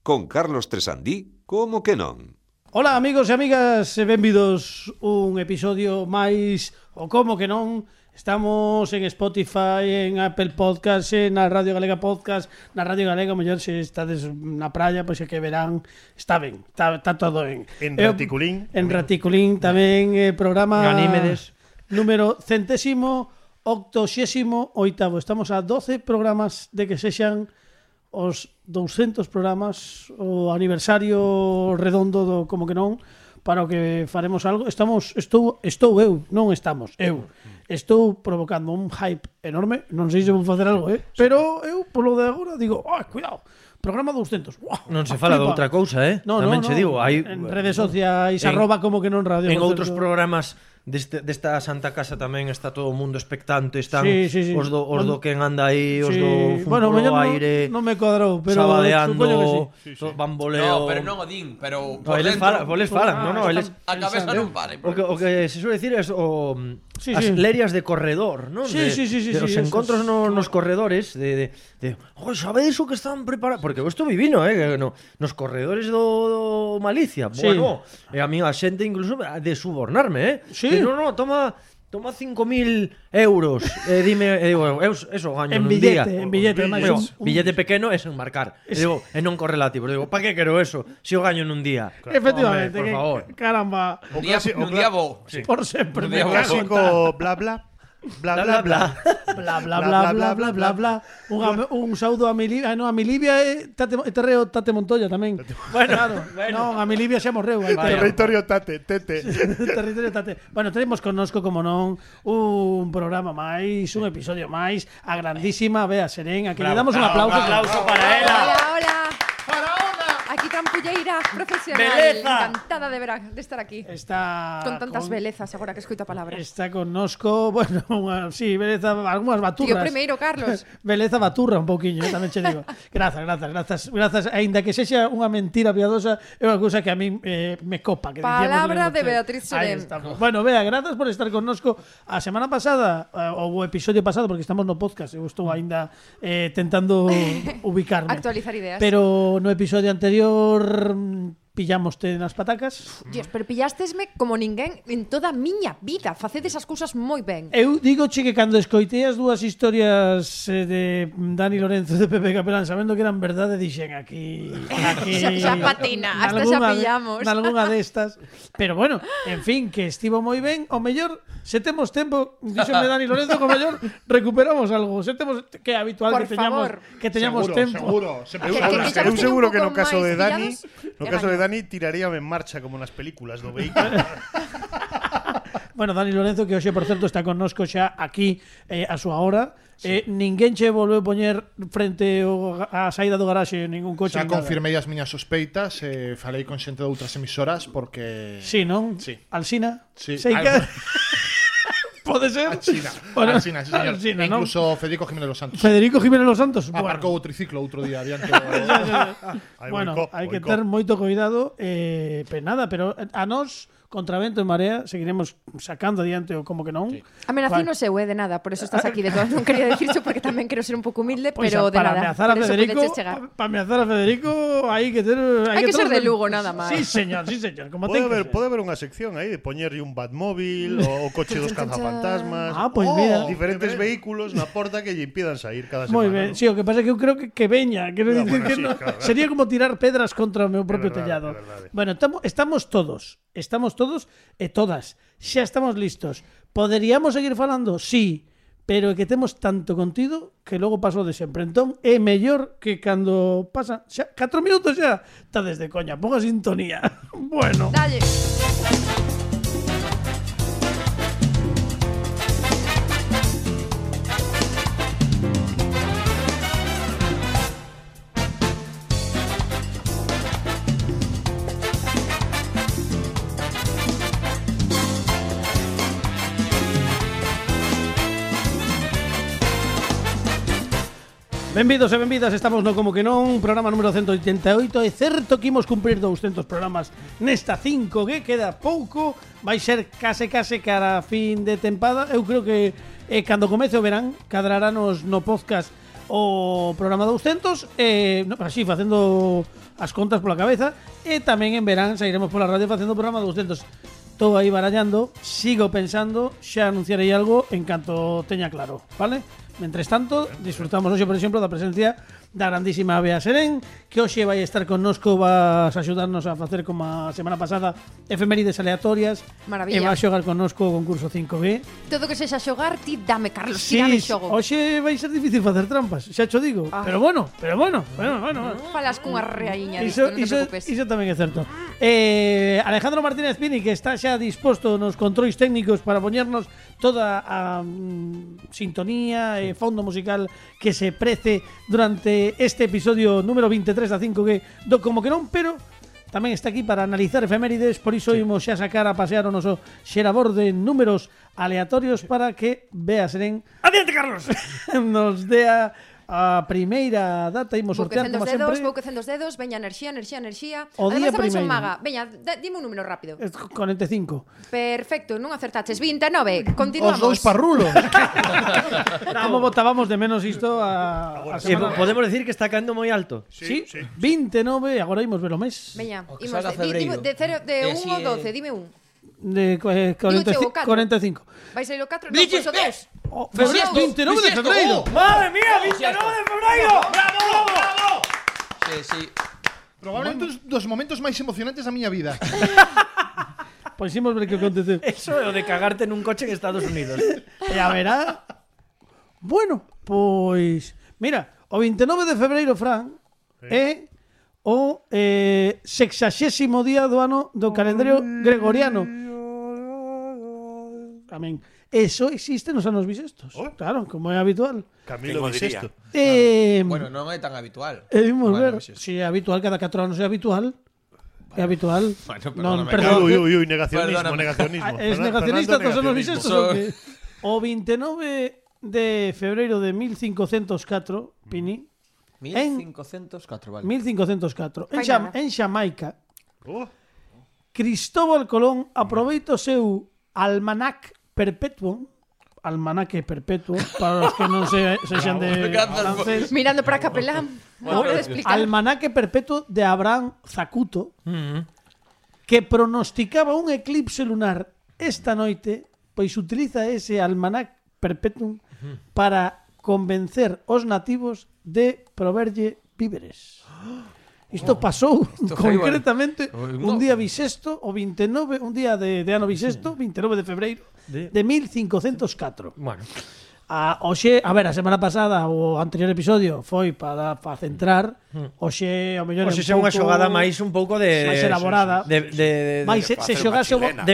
con Carlos Tresandí, como que non? Ola amigos e amigas, e benvidos un episodio máis o como que non. Estamos en Spotify, en Apple Podcast, na Radio Galega Podcast, na Radio Galega, mellor se estades na praia, pois é que verán, está ben, está todo ben. En Raticulín. En Raticulín tamén, programa Ganímedes. Número 188º. Estamos a 12 programas de que sexan os 200 programas, o aniversario redondo do como que non, para o que faremos algo. Estou provocando un hype enorme, non sei se vou facer algo, pero eu polo de agora digo, cuidado, programa 200. Non se fala de outra cousa, Tamén che digo, hai en redes sociais arroba como que non radio. En outros programas desta Santa Casa tamén está todo o mundo expectante, están sí. os do que anda aí, os do bueno, polo aire, non me cuadrou, pero sabadeando, sí. bamboleo. No, pero non o din, pero por eles falan, eles a cabeza non para. O que se suele decir é as lerias de corredor, non? Sí, os encontros nos corredores de sabedes o que están preparados, porque eu estou vivino, nos corredores do Malicia. Bueno, e a mí a xente incluso de subornarme, Sí. No, toma 5.000 euros, dime, digo, eso gaño en nun billete, día. En billete, billete pequeno é sen marcar. Digo, e non correlativo. Digo, pa que quero eso? Se o gaño nun día. Efectivamente, por favor. Caramba. Un día bo. Por sempre. Un me día O cago en clásico bla bla bla bla bla. bla bla bla bla bla bla bla. Un saúdo a Milivia, a Milivia e Terreo Tate Montoya tamén. Bueno. Non, a Milivia xa morreu. Territorio Tate, Tete. Territorio Tate. Bueno, tenemos connosco, como non, un programa máis, un episodio máis, a grandísima Bea Serén, a que lle damos un aplauso. Para ela. Hola. Aquí trampulleira profesional. Beleza. Encantada de estar aquí. Está Con tantas belezas agora que escoito a palabra. Está connosco, bueno, beleza, algunhas baturras. Tío primeiro, Carlos. Beleza baturra un pouquiño, tamén che digo. Grazas, aínda que sexa unha mentira piadosa, é unha cousa que a mí me copa. Que Palabra de Beatriz Serén. Bueno, Bea, grazas por estar connosco. A semana pasada, ou o episodio pasado, porque estamos no podcast, eu estou aínda tentando ubicarme. Actualizar ideas. Pero no episodio anterior pillámoste nas patacas. Dios, pero pillástesme como ninguén en toda a miña vida. Facedes as cousas moi ben. Eu digo que cando escoitei as dúas historias de Dani Lorenzo e de Pepe Capelán, sabendo que eran verdade, dixen aquí xa patina, hasta xa pillamos. Nalgúnha destas. Pero bueno, en fin, que estivo moi ben. O mellor, se temos tempo, díxome Dani Lorenzo, o mellor recuperamos algo. Se temos, que é habitual Por que teñamos tempo. Eu seguro que no caso de Dani, pillados, tiraríame en marcha como nas películas do vehículo. Bueno, Dani Lorenzo, que hoxe, por certo, está connosco xa aquí a súa hora. Ninguén che volveu poñer frente á saída do garaxe ningún coche. Xa confirmei as miñas sospeitas, falei con xente de outras emisoras porque... Sí, non? Sí. Alsina? Sí. Pode ser? Alsina, Bueno, Alsina, sí, señor. Alsina, ¿no? Incluso Federico Jiménez Los Santos. Federico Jiménez Los Santos. Aparcou o triciclo outro día adiante. Bueno, hai que ter moito cuidado. Nada, pero a nós, contra vento e marea, seguiremos sacando adiante o como que non. Sí. Amenacino seu, de nada, por eso estás aquí. De todas, non quería decirlo porque tamén quero ser un pouco humilde, Pues pero de para nada. ameazar a Federico, Para ameazar a Federico, hai que ter... Hai que ser de Lugo, nada máis. Sí, señor. Como ten que ser. Pode haber unha sección aí de poñerlle un Batmóvil o coche dos cazafantasmas. Pois mira. Diferentes vehículos na porta que lle impidan sair cada semana. Moi ben, sí, o que pasa é que eu creo que veña, quero dicir que sí, no, claro. sería como tirar pedras contra o meu propio verdade, tellado. é verdade. Bueno, estamos todos e todas, xa estamos listos. Poderíamos seguir falando? Sí, pero é que temos tanto contido que logo pasou de sempre. Entón, é mellor que cando pasa xa 4 minutos xa, está desde coña, ponga sintonía. Bueno. Dalle. Benvidos e benvidas, estamos no Como que non, programa número 188. É certo que imos cumprir 200 programas nesta 5G, queda pouco, vai ser case cara a fin de tempada. Eu creo que cando comece o verán, cadraranos no podcast o programa 200, así facendo as contas pola cabeza. E tamén en verán sairemos pola radio facendo o programa 200. Estou aí barallando, sigo pensando, xa anunciarei algo en canto teña claro, vale? Mentres tanto, disfrutamos hoxe, por exemplo, da presencia da grandísima Bea Serén, que hoxe vai estar connosco, vas a axudarnos a facer como a semana pasada efemérides aleatorias. Maravilla. E vai xogar connosco o concurso 5G. Todo que sexa xogar, ti dame, Carlos, Sí, ti dame xogo. hoxe vai ser difícil facer trampas, xa cho digo. Ah. Pero bueno. Falas cunha reaíña Iso, disto, non te iso, preocupes. iso tamén é certo. Alejandro Martínez Pini, que está xa disposto nos controis técnicos para poñernos toda a sintonía e fondo musical que se prece durante este episodio número 23 da 5G do Como que non, pero tamén está aquí para analizar efemérides, por iso imos xa sacar a pasear o noso xerador de números aleatorios para que Bea Serén Adiante, Carlos. nos dea a primeira data. Imos Vou sortear quecendo como os dedos, sempre. vou quecendo os dedos, veña enerxía. O día Ademais, tamén son primeiro. maga. Veña, dime un número rápido. 45. Perfecto, non acertaches. 29, Os continuamos. dous parrulos. Como votábamos de menos isto a semana? Podemos decir que está caendo moi alto. Sí, 29, agora imos ver o mes. Veña, O que imos salga de 1 febreiro. E 1 así ao é- 12, dime un. De 45. 45. Vais a ir o 4? Non, Diches, pois o 2. Oh, Bisiesto, 29 de bisiesto, febreiro. oh. ¡Madre mía! ¡29 de febrero! ¡Bravo! Sí. Probablemente un dos momentos máis emocionantes da miña vida. Pois imos ver que aconteceu. Eso é o de cagarte nun coche en Estados Unidos. E a verá. Bueno, pois mira, o 29 de febreiro, Fran, é o 60º día do ano do calendario gregoriano. Amén. Eso existe nos anos bisestos. Claro, como é habitual. Camilo Quen o diría? Bisiesto. Bueno, non é tan habitual. Imos Bueno, ver. bisiesto. Si é habitual, cada 4 anos é habitual. É habitual. Bueno, Non, perdóname, perdón. Uy, negacionismo, Perdóname. negacionismo. Es Fernando negacionista todos os anos negacionismo. bisestos. O que o 29 de febreiro de 1504, Pini, 1504, vale. 1504, Fai nada. en Xamaica, Oh, Cristóbal Colón aproveita o seu almanac perpetuo, almanaque perpetuo, para os que non sexan de Grazas, francés, Mirando para Capelán. Hora de explicar. almanaque perpetuo de Abraham Zacuto, que pronosticaba un eclipse lunar esta noite, pois utiliza ese almanac perpetuum para convencer os nativos de proverlle víveres. Isto pasou foi concretamente bueno. un día bisexto, o 29, un día de ano bisexto, 29 de febreiro de 1504. Bueno, Oxe, a ver, a semana pasada o anterior episodio foi para centrar. Oxe, ao mellor Oxe, é unha xogada máis un pouco de máis elaborada. de se facer xogase o unha chilena.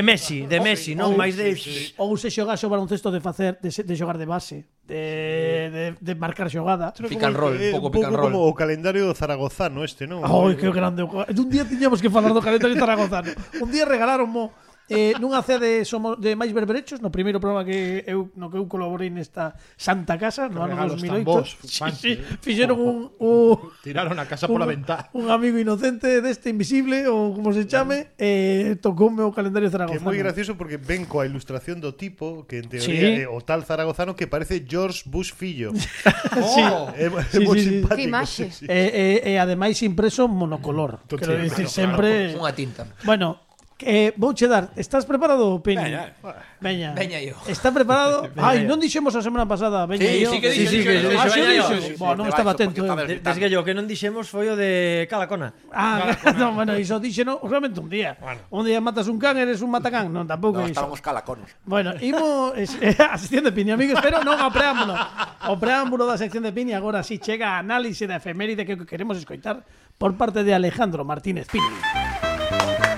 de Messi, non máis de ou se xogase o baloncesto de xogar de base, de marcar xogada. Pick and roll, un pouco pick and roll. como o calendario zaragozano este, non? Ai, que grande. Un día tiñamos que falar do calendario zaragozano. Un día regalaronmo nunha cea de máis berberechos, no primeiro programa que eu colaborei nesta santa casa no ano regalos 2008. tan bos, Sí, fixeron un Tiraron a casa pola ventá. un amigo inocente deste invisible ou como se chame, tocoume o calendario Que é zaragozano. moi gracioso porque ven coa ilustración do tipo que en Sí. teoría é o tal zaragozano que parece George Bush fillo. Sí. É Sí, moi sí, sí. simpático. Que imaxe. sí, sí. E ademais impreso monocolor. Quero dicir, sempre. Unha tinta. Bueno, vouche dar. Estás preparado, Penny? Veña. Veña. Veña yo. Está preparado? Ai, non dixemos a semana pasada. Veña Sí, yo. sí que Sí, sí, que Ah, dixo, sí, veña yo. dixo. Bueno, non estaba atento. Desde que o que non dixemos foi o de Calacona. Ah, no, bueno, iso dixeno realmente un día. Un día matas un can, eres un matacán. Non, tampouco No, iso. estábamos calaconos. Bueno, imos a sección de Pini, amigos, pero non ao preámbulo. O preámbulo da sección de Pini agora si chega a análise da efeméride que queremos escoitar por parte de Alejandro Martínez Pini.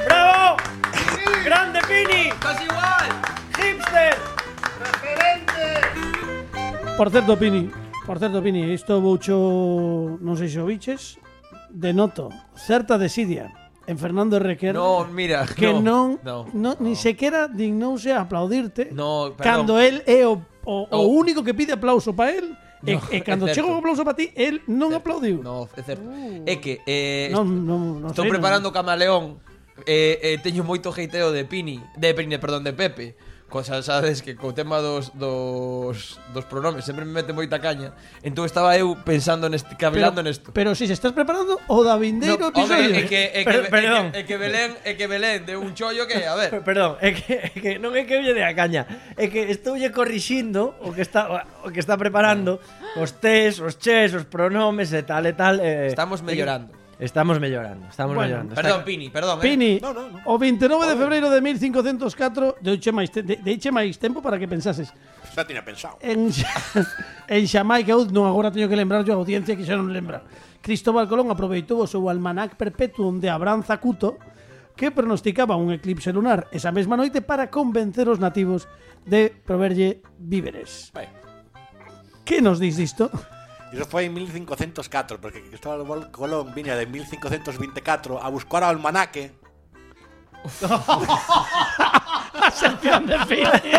¡Bravo! ¡Grande Pini! Casi igual. ¡Hipster! Por certo, Pini, isto voucho, non sei se o biches, denoto certa desidia en Fernando Requer. No, mira, que no, ni sequera dignouse a aplaudirte No, perdón. cando él é o único que pide aplauso para él e cando é chega o certo. aplauso para ti él non aplaudiu. No, é certo. É que Non estou sei, preparando Camaleón. Teño moito heiteo de Pini, de Pepe, Cosa, sabes, que co tema dos pronomes sempre me mete moita caña. Entón estaba eu pensando cabelando nesto. Pero si se estás preparando o da vindeiro episodio. É que Belén de un chollo que, a ver. Perdón, é que non é que lle de a caña, é que estoulle corrixindo o que está preparando, os tes, os ches, os pronomes e tal. Estamos mellorando. Estamos mellorando. Perdón, Pini, perdón. Pini, o 29 de febreiro de 1504 deiche máis tempo para que pensases. Xa tiña pensado. En Xamaica, eu non agora teño que lembrar yo a audiencia que xa non lembra. Cristóbal Colón aproveitou o seu almanac perpetuum de Abraham Zacuto, que pronosticaba un eclipse lunar esa mesma noite para convencer os nativos de proverlle víveres. Que nos dis disto? Iso foi en 1504, porque Cristóbal Colón viña de 1524 a buscar ao almanaque. A sección de Pini.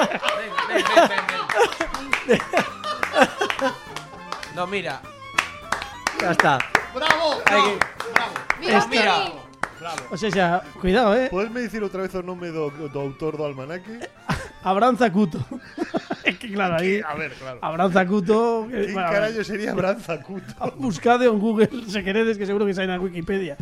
No, mira. Ya está. ¡Bravo! Mira. O sea, cuidado, Podesme dicir outra vez o nome do autor do almanaque? Abraham Zacuto. Es que claro, aí A ver, claro. Abraham Zacuto. ¿Quién carallo sería Abraham Zacuto? Buscade en Google se queredes, que seguro que sai na Wikipedia.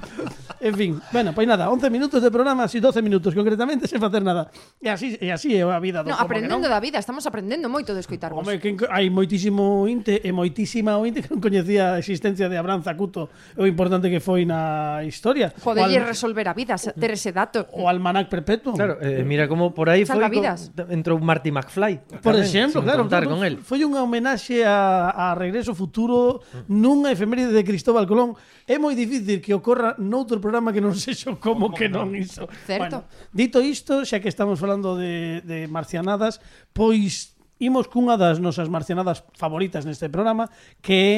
En fin, bueno, pois nada, 11 minutos de programa, así 12 minutos concretamente sen facer nada. E así é a vida do No, como aprendendo que non. da vida, estamos aprendendo moito de escoitarvos. Home, que hai moitísimo ointe e moitísima ointe que non coñecía a existencia de Abraham Zacuto o importante que foi na historia. Poderlle resolver a vida, ter ese dato. O almanac perpetuo. Claro, mira como por aí foi Salvavidas. entrou Marty McFly. Por tamén, exemplo, sin claro, contar con él. foi unha homenaxe a Regreso Futuro nunha efeméride de Cristóbal Colón. É moi difícil que ocorra noutro programa que non sexo como que non iso. Certo. Bueno, dito isto, xa que estamos falando de marcianadas, pois imos cunha das nosas marcianadas favoritas neste programa, que é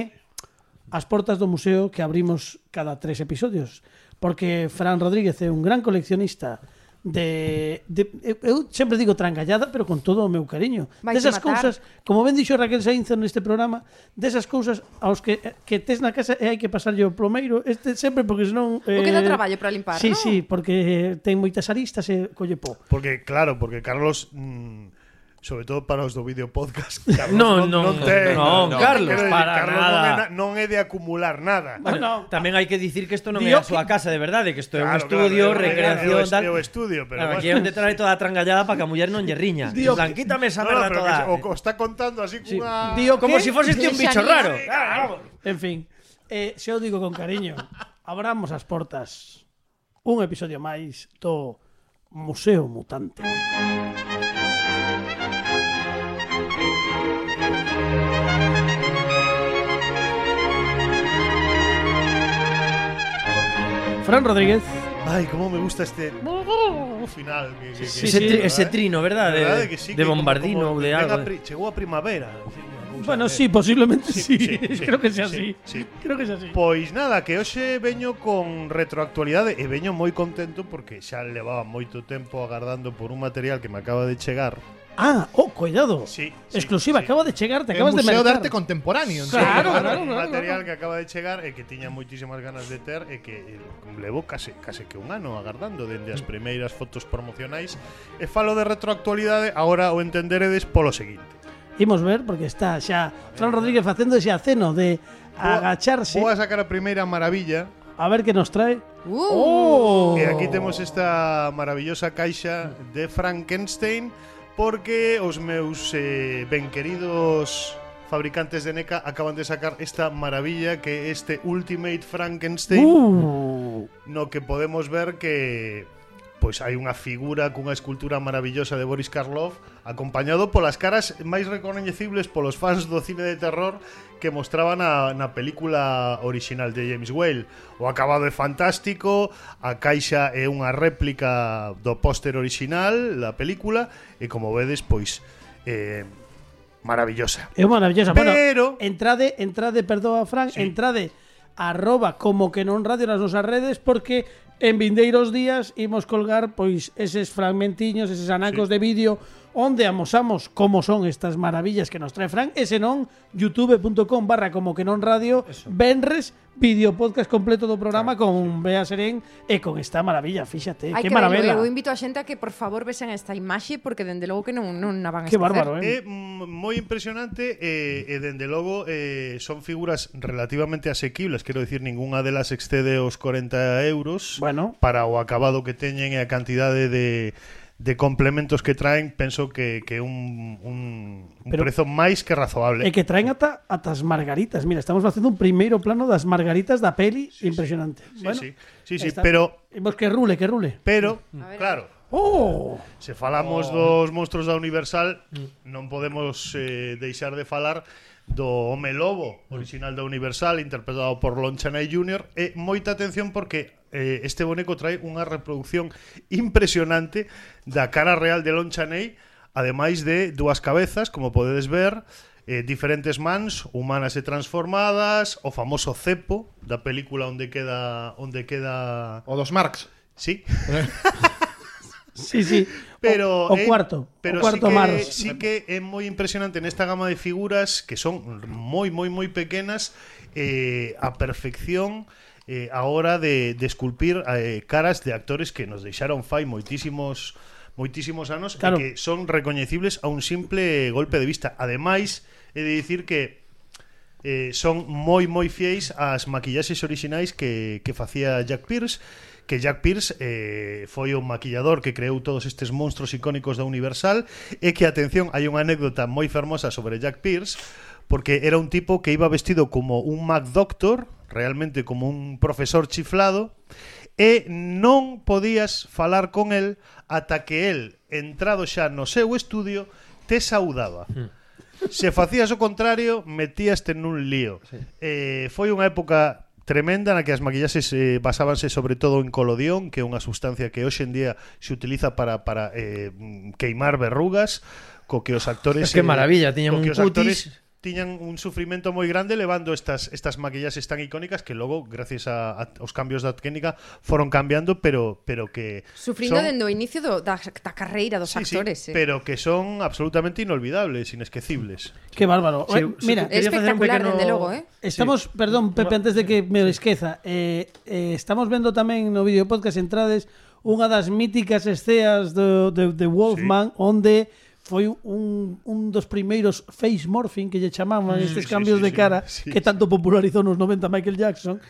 as portas do museo que abrimos cada 3 episodios. Porque Fran Rodríguez é un gran coleccionista eu sempre digo trangallada, pero con todo o meu cariño. Desas cousas, como ben dixo Raquel Sainz neste programa, desas cousas aos que tes na casa e hai que pasarlle o plomeiro, sempre porque senón O que dá traballo para limpar, sí, non? sí, porque ten moitas aristas e colle po. Porque Carlos sobre todo para os do vídeo podcast. Non, Carlos, Carlos nada. non é de acumular nada. Bueno, tamén hai que dicir que isto non é a súa casa de verdade, que isto é un estudio, recreación, tal. É o estudio, pero Aquí é onde trae toda a trangallada para que a muller non lle riña. Quítame esa merda toda. O está contando así cunha... Como se fose un bicho raro. En fin, se eu digo con cariño, abramos as portas. Un episodio máis do Museo Mutante. Fran Rodríguez. Ay, cómo me gusta este final. Ese trino, ¿verdad? De bombardino ou de algo. Chegou a primavera. Bueno, sí, posiblemente sí. Creo que sea sí, así. Sí. Creo que sea así. Pois nada, que hoxe veño con retroactualidade e veño moi contento porque xa levaba moito tempo agardando por un material que me acaba de chegar. Cuidado. Sí, exclusiva, acaba de chegar, te El acabas de Museo de mercar. Arte Contemporáneo. Claro, Un material que acaba de chegar e que tiña moitísimas ganas de ter e que levo case que un ano agardando dende as primeiras fotos promocionais. E falo de retroactualidade, agora o entenderedes polo seguinte. Imos ver, porque está xa Fran Rodríguez facendo ese aceno de agacharse. Vou a sacar a primeira maravilla. A ver que nos trae. E aquí temos esta maravillosa caixa de Frankenstein, porque os meus ben queridos fabricantes de NECA acaban de sacar esta maravilla que é este Ultimate Frankenstein, no que podemos ver que pois hai unha figura cunha escultura maravillosa de Boris Karloff, acompañado polas caras máis recoñecibles polos fans do cine de terror que mostraban na película original de James Whale. O acabado é fantástico, a caixa é unha réplica do póster original da película e como vedes, pois maravillosa. É maravillosa. Pero entrade, perdoa Fran, sí. Entrade @como que non radio nas nosas redes, porque en vindeiros días imos colgar pois eses fragmentiños, eses anacos de vídeo onde amosamos como son estas maravillas que nos trae Fran, e senón youtube.com/como que non radio, venres vídeo podcast completo do programa con Bea Serén e con esta maravilla, fíxate, Hai que que maravilla. verlo, eu invito a xente a que por favor vesen esta imaxe porque dende logo que non a van a Que esquecer. bárbaro, É moi impresionante e dende logo son figuras relativamente asequibles, quero dicir, ninguna delas excede os 40 euros. Bueno. Para o acabado que teñen e a cantidade de complementos que traen, penso que un prezo máis que razoable. E que traen ata as margaritas. Mira, estamos facendo un primeiro plano das margaritas da peli impresionante. Bueno, Sí, está. pero Imos que rule, que rule. claro, Oh! se falamos dos monstruos da Universal, non podemos deixar de falar do Home Lobo, original da Universal, interpretado por Lon Chaney Jr. E moita atención porque este boneco trae unha reproducción impresionante da cara real de Lon Chaney, ademais de dúas cabezas, como podedes ver, diferentes mans humanas e transformadas, o famoso cepo da película onde queda O dos Marx. sí. Sí. Pero o cuarto Mars. sí que é moi impresionante nesta gama de figuras que son moi pequenas, a perfección a hora de esculpir caras de actores que nos deixaron fai moitísimos anos, Claro. e que son recoñecibles a un simple golpe de vista. Ademais, he de dicir que son moi fiéis ás maquillaxes orixinais que facía Jack Pierce, que Jack Pierce foi o maquillador que creou todos estes monstruos icónicos da Universal, e que, atención, hai unha anécdota moi fermosa sobre Jack Pierce, porque era un tipo que iba vestido como un McDoctor, realmente como un profesor chiflado, e non podías falar con el ata que el, entrado xa no seu estudio, te saudaba. Se facías o contrario, metíaste nun lío. Foi unha época tremenda na que as maquillaxes basábanse sobre todo en colodión, que é unha sustancia que hoxe en día se utiliza para queimar verrugas, co que os actores Que maravilla, tiñan un cutis. Tiñan un sufrimento moi grande levando estas maquillaxes tan icónicas que logo, gracias aos cambios da técnica, foron cambiando, pero que Sufrindo son, dende o inicio da carreira dos actores. pero que son absolutamente inolvidables, inesquecibles. Qué bárbaro. Sí, Mira, É espectacular, dende logo, estamos, perdón, Pepe, antes de que me esqueza, estamos vendo tamén no vídeo podcast entrades unha das míticas esceas de Wolfman, onde foi un dos primeiros face morphing que lle chamaban estes cambios de cara que tanto popularizou nos 90 Michael Jackson,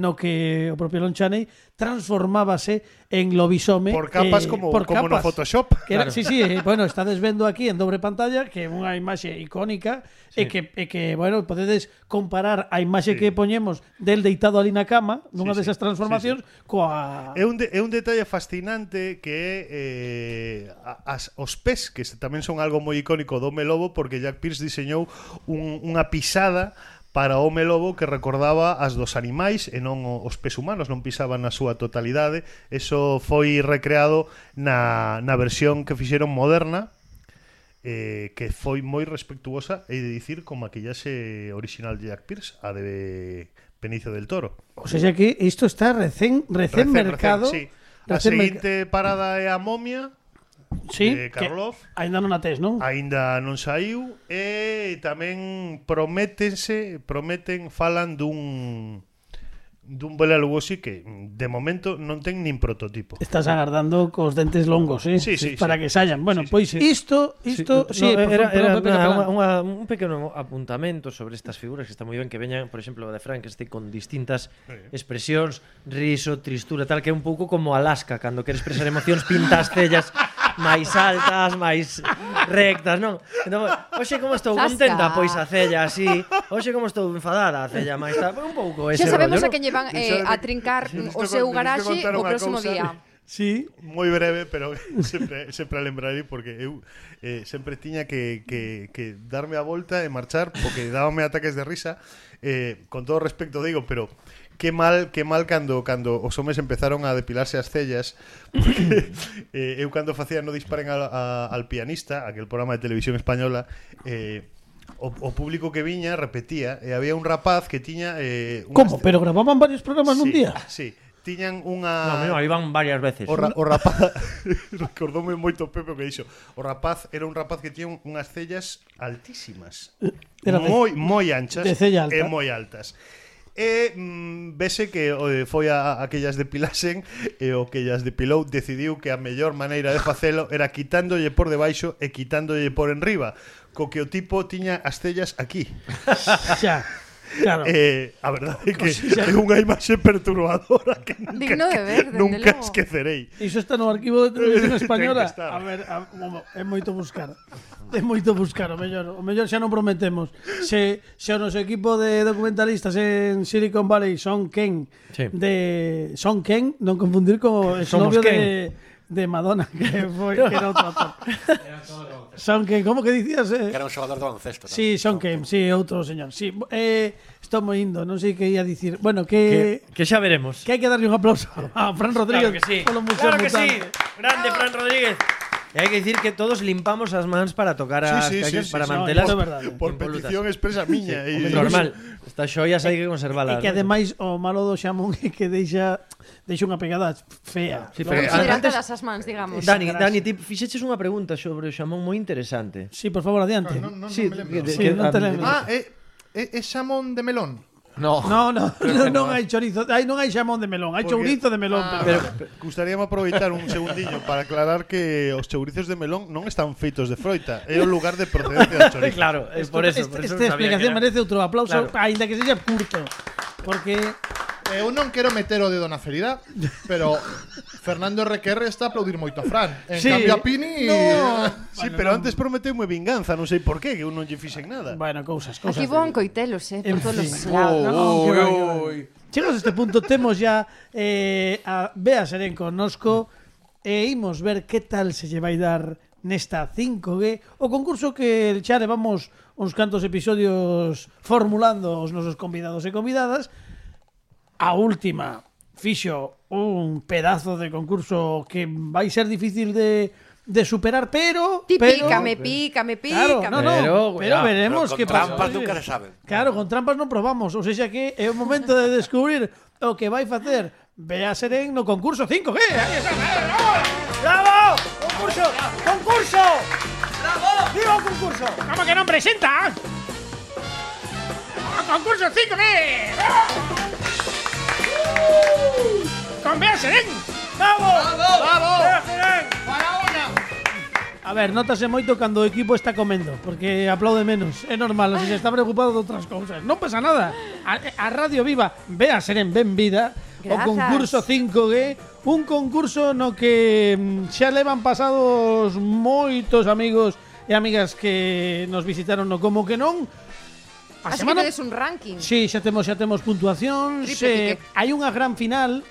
no que o propio Lon Chaney transformábase en lobisome Por capas como no Photoshop. Que era, sí, bueno, estades vendo aquí en dobre pantalla que é unha imaxe icónica e que, bueno, podedes comparar a imaxe que poñemos del deitado ali na cama nunha desas transformacións coa... É un detalle fascinante que é os pés, que tamén son algo moi icónico do Home Lobo, porque Jack Pierce diseñou unha pisada para o Home Lobo que recordaba as dos animais e non os pés humanos, non pisaban na súa totalidade. Eso foi recreado na versión que fixeron moderna, que foi moi respectuosa, e de dicir, con maquillaxe original de Jack Pierce, a de Benicio del Toro. O sea que isto está recén mercado. Sí. A seguinte parada é a momia, Karloff, aínda non a tes, non? Aínda non saiu, e tamén falan dun Bela Lugosi que de momento non ten nin prototipo. Estás agardando cos dentes longos, Sí, para que saian. Bueno, pois isto, un pequeno apuntamento sobre estas figuras que está moi ben que veñan, por exemplo, de Frankenstein con distintas expresións, riso, tristura, tal, que é un pouco como Alaska, cando queres expresar emocións, pintas cellas máis altas, máis rectas, non? Entón, hoxe como estou contenta, pois a cella así, hoxe como estou enfadada, a cella máis tal, un pouco ese rollo. Xa sabemos rollo, a quen llevan a trincar o seu garaxe o próximo día. Sí, moi breve, pero sempre a lembrarei porque eu sempre tiña que darme a volta e marchar porque dábame ataques de risa, con todo respecto digo, pero que mal cando os homes empezaron a depilarse as cellas, porque eu cando facía No disparen al pianista, aquel programa de televisión española, o público que viña repetía, e había un rapaz que tiña como? Pero gravaban varios programas nun día? Sí, tiñan unha... No, iban varias veces. O rapaz recordoume moito Pepe o que dixo. O rapaz era un rapaz que tiña unhas cellas altísimas, moi anchas de cella alta. e moi altas. E vese que foi a aquellas depilasen e o que ellas depilou decidiu que a mellor maneira de facelo era quitándolle por debaixo e quitándolle por enriba, co que o tipo tiña as cellas aquí. Xa. Claro. A verdade é que é unha imaxe perturbadora que Digno de ver, dende nunca logo. esquecerei. Iso está no arquivo de televisión española. Ten que estar. A ver, é moito buscar. É moito buscar, o mellor xa non prometemos. Se o noso equipo de documentalistas en Silicon Valley son Ken, Sí. son Ken, non confundir co Somos exnovio Ken. de Madonna, que era outro actor. Son Ken, como que dicías? Que era un xogador de baloncesto. ¿no? Sí, son Ken, sí, outro señor. Sí, estou moi indo, non sei que ia dicir. Bueno, que xa veremos. hai que darlle un aplauso a Fran Rodríguez Claro que sí. polo Museo Claro que sí. Mutante. Grande Fran Rodríguez. E hai que dicir que todos limpamos as mans para tocar as caixas, para mantelas isto é verdade. Por impolutas. petición expresa miña. Hombre, normal. Estas xoias hai que conservalas. E que ademais o malo do xamón é que deixa unha pegada fea. Sí, Logo, pero Hidratadas as mans, digamos. Dani, ti fixeches unha pregunta sobre o xamón moi interesante. Sí, por favor, adiante. Non Sí, me lembro. Sí, non te lembro. É xamón de melón. No. Non hai chorizo, non hai xamón de melón, hai Porque- chourizo de melón. Pero Gustaríame aproveitar un segundiño para aclarar que os chourizos de melón non están feitos de froita, é o lugar de procedencia do chorizo. claro, é por eso, Esta sabía explicación que era. merece outro aplauso, Claro. aínda que sexa curto. Porque Eu non quero meter o dedo na ferida, pero Fernando RQR está a aplaudir moito a Fran. En Sí. cambio a Pini... Sí, pero antes prometeume vinganza, non sei por qué, que eu non lle fixen nada. bueno, cousas. Aquí vou en coitelos, En por todos fin. os lados. No, que vai. Chegamos a este punto, temos ya a Bea Serén connosco e imos ver que tal se lle vai dar nesta 5G, o concurso que xa levamos uns cantos episodios formulando os nosos convidados e convidadas. A última fixo un pedazo de concurso que vai ser difícil de superar, pero... Ti pero pícame. Claro, no, pero veremos Pero con que pasa. trampas nunca se sabe. Claro, con trampas non probamos. Ou seja que é o momento de descubrir o que vai facer Bea Serén no concurso 5G. Aí está. ¡Bravo! ¡Concurso! ¡Concurso! ¡Bravo! ¡Viva o concurso! ¿Cómo que non presenta? O concurso 5G. Con Bea Serén. ¡Bravo! ¡Bravo! A ver, notase moito cando o equipo está comendo, porque aplaude menos. É normal, se está preocupado de outras cousas. Non pasa nada. A Radio Viva, Bea Serén, ben vida. O Grazas. concurso 5G, un concurso no que xa levan pasados moitos amigos e amigas que nos visitaron no Como que non. A Así que tedes un ranking. Sí, xa temos puntuación. Triple pique. Hai unha gran final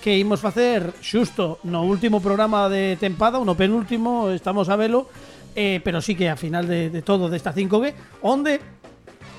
que imos facer xusto no último programa de tempada, ou no penúltimo, estamos a velo, pero sí que a final de todo desta 5G, onde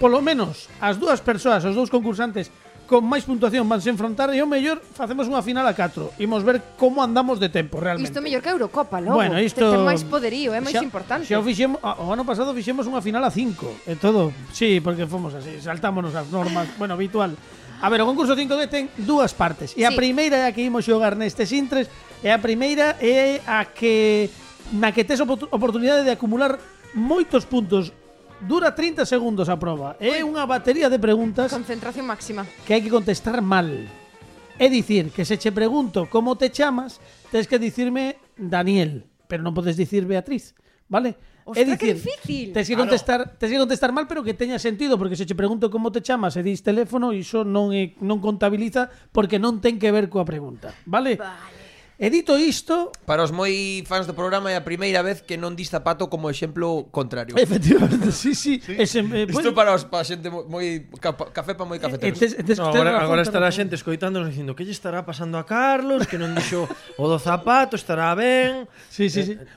polo menos as dúas persoas, os dous concursantes con máis puntuación van se enfrontar e o mellor facemos unha final a 4. Imos ver como andamos de tempo realmente. Isto mellor que a Eurocopa, logo. Bueno, isto Ten máis poderío, é máis xa- importante. Xa o fixemos, o ano pasado fixemos unha final a 5 e todo. Sí, porque fomos así, saltámonos as normas, bueno, habitual. A ver, o concurso 5G ten dúas partes. E a Sí. primeira é a que imos xogar nestes intres, e a primeira é a que na que tes oportunidade de acumular moitos puntos. Dura 30 segundos a proba. É unha batería de preguntas Concentración máxima. que hai que contestar mal. É dicir, que se che pregunto como te chamas, tes que dicirme Daniel, pero non podes dicir Beatriz, vale? Ostras, que difícil. Tes que contestar mal, pero que teña sentido, porque se che pregunto como te chamas e dis teléfono, iso non contabiliza porque non ten que ver coa pregunta, vale? E dito isto, Para os moi fans do programa é a primeira vez que non dis zapato como exemplo contrario. efectivamente, sí. Isto para a xente moi café para moi cafeteros. No, agora estará a xente escoitándonos dicindo que lle estará pasando a Carlos, que non dixo o do zapato, estará ben. Sí.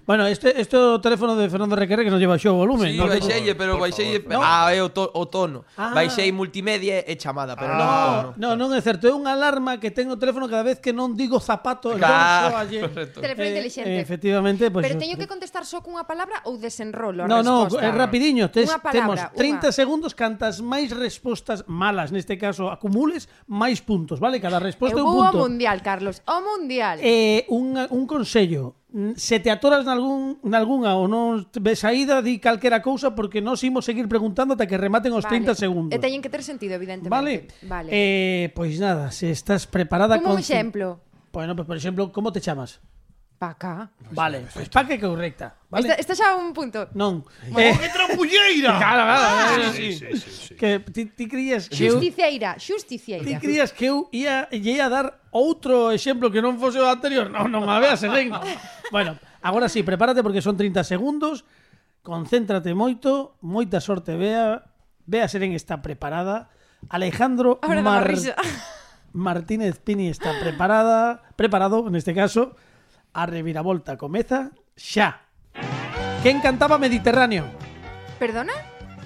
Bueno, este é o teléfono de Fernando Requerre que non lleva xo o volumen. Sí, non? baixelle, pero baixelle... é o tono. Baixei multimedia e chamada, pero non o tono. Non é certo, é unha alarma que ten no teléfono cada vez que non digo zapato, correcto. Teléfono inteligente. efectivamente, pues, Pero teño que contestar só cunha palabra ou desenrolo a No, resposta? é rapidiño. Unha palabra, Temos 30 segundos, cantas máis respostas malas, neste caso, acumules, máis puntos, vale? Cada resposta é Eu un vou ao punto. mundial, Carlos. Ao mundial. Un consello. se te atoras nalgunha ou non ves saída, di calquera cousa porque nós imos seguir preguntando ata que rematen os 30 segundos. E teñen que ter sentido, evidentemente. Vale. Pois nada, se estás preparada Como un exemplo. Bueno, pues por exemplo, como te chamas? Paca. Vale, pois Paca é correcta, vale? Esta xa un punto. Non. ¡Que trampulleira! Claro. Sí. Que ti crías que eu... Justiciera. Ti crías que eu ia dar outro exemplo que non fose o anterior? Non a veas, ven. Bueno, agora sí, prepárate porque son 30 segundos. Concéntrate moito, moita sorte, Bea Serén está preparada. Alejandro Martínez Pini está preparado, neste caso. A reviravolta comeza xa. Quen cantaba Mediterráneo? Perdona?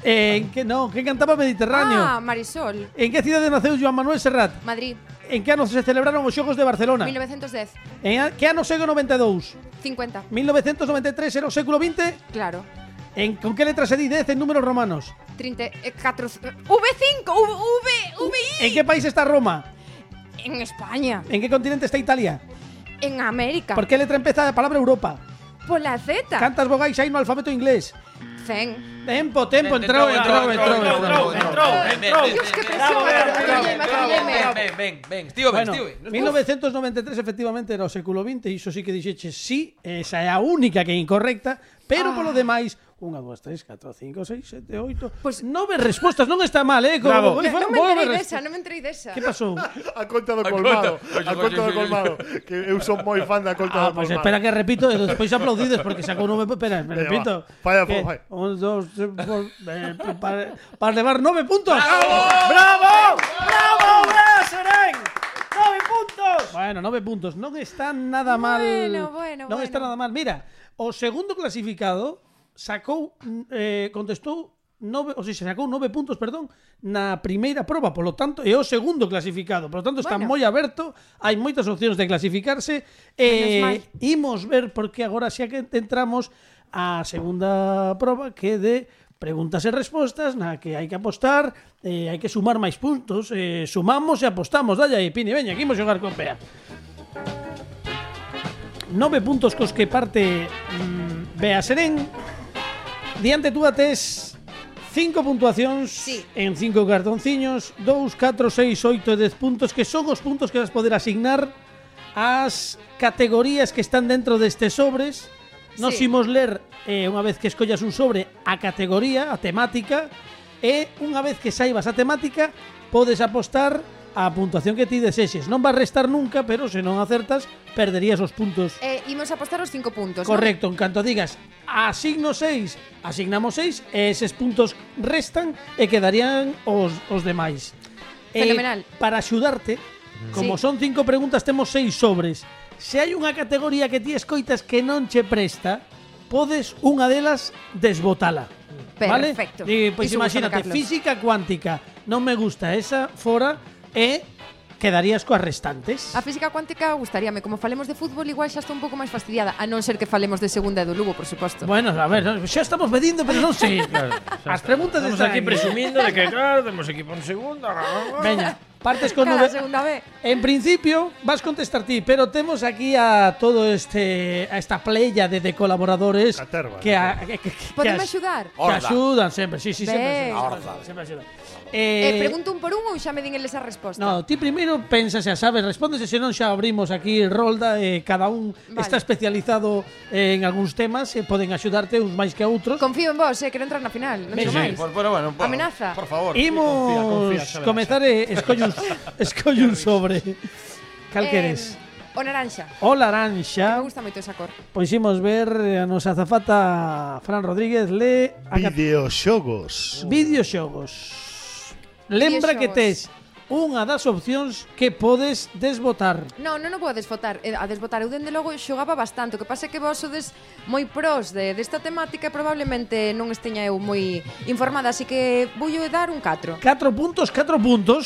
Quen cantaba Mediterráneo? Marisol. En que cidade naceu Joan Manuel Serrat? Madrid. En que ano se celebraron os Xogos de Barcelona? 1910. En que ano segue o 92? 50. 1993 era o século XX? Claro. Con que letra se di 10 en números romanos? 34. V5. VI. En que país está Roma? En España. En que continente está Italia? En América. Por que letra empeza a palabra Europa? Pola Z. Cantas vogais hai no alfabeto inglés? Zen. Tempo, entrou. Dios, que presión. Ven, tío, Bueno, 1993 efectivamente era o século XX e iso sí que dixeches sí, esa é a única que é incorrecta, pero polo demais 1, 2, 3, 4, 5, 6, 7, 8 Pues 9 respostas, non está mal, Non me entrei desa. Que pasou? A conta do colmado. Que eu son moi fan da conta do Pues colmado. espera que repito e despois aplaudides porque sacou 9. Espera, me repito. Falla. 1, 2, 3, para levar 9 puntos. ¡Bravo! ¡Bea Serén! 9 puntos. Bueno, 9 puntos. Non está nada mal. Bueno. Non está nada mal. Mira, o segundo clasificado contestou 9 puntos, na primeira proba, polo tanto, é o segundo clasificado. Polo tanto, está moi aberto, hai moitas opcións de clasificarse. Imos ver porque agora xa que entramos a segunda proba que é de preguntas e respostas na que hai que apostar, hai que sumar máis puntos, sumamos e apostamos. Dalle aí, Pini, veña, aquí imos xogar con Bea. 9 puntos cos que parte Bea Serén. Diante túa tes 5 puntuacións en 5 cartonciños, 2, 4, 6, 8 e 10 puntos, que son os puntos que vas poder asignar ás categorías que están dentro destes sobres. Nos imos ler, unha vez que escollas un sobre, a categoría, a temática, e unha vez que saibas a temática, podes apostar a puntuación que ti desexes. Non vas restar nunca, pero se non acertas, perderías os puntos. Imos apostar os 5 puntos. Correcto, en canto digas asigno 6, asignamos 6, e eses puntos restan e quedarían os demais. Fenomenal. Para axudarte, como son 5 preguntas, temos 6 sobres. Se hai unha categoría que ti escoitas que non che presta, podes unha delas desbotala. Perfecto. Vale? Pois imagínate, física cuántica, non me gusta esa, fora, e quedarías coas restantes. A física cuántica gustaríame. Como falemos de fútbol, igual xa estou un pouco máis fastidiada. A non ser que falemos de segunda e do Lugo, por suposto. Bueno, a ver, xa estamos medindo, pero non sei. As preguntas Estamos están aquí presumindo de que, claro, temos equipo en segunda. Veña, partes con Cada 9. segunda vez. En principio vas contestar ti, pero temos aquí a todo a esta playa de colaboradores Caterva, que Podeme axudar? Que axudan sempre, sí, sempre Ben. axudan. Pregunto un por un ou xa me din eles a resposta? No, ti primeiro pensa, xa sabes, respondes e senón xa abrimos aquí rolda e cada un está especializado en algúns temas e poden axudarte uns máis que outros. Confío en vos, quero entrar na final. Non digo máis. Bueno, Amenaza. por favor. Imos confía, comezar escolle un sobre. Cal queres? O naranxa. O laranxa. Me gusta moito esa cor. Pois imos ver a nosa azafata Fran Rodríguez le Videoxogos. Videoxogos. Lembra que tes unha das opcións que podes desbotar. Non vou desbotar. A desbotar eu dende logo xogaba bastante. O que pasa é que vos sodes moi pros desta temática e probablemente non esteña eu moi informada, así que vou dar un 4. 4 puntos,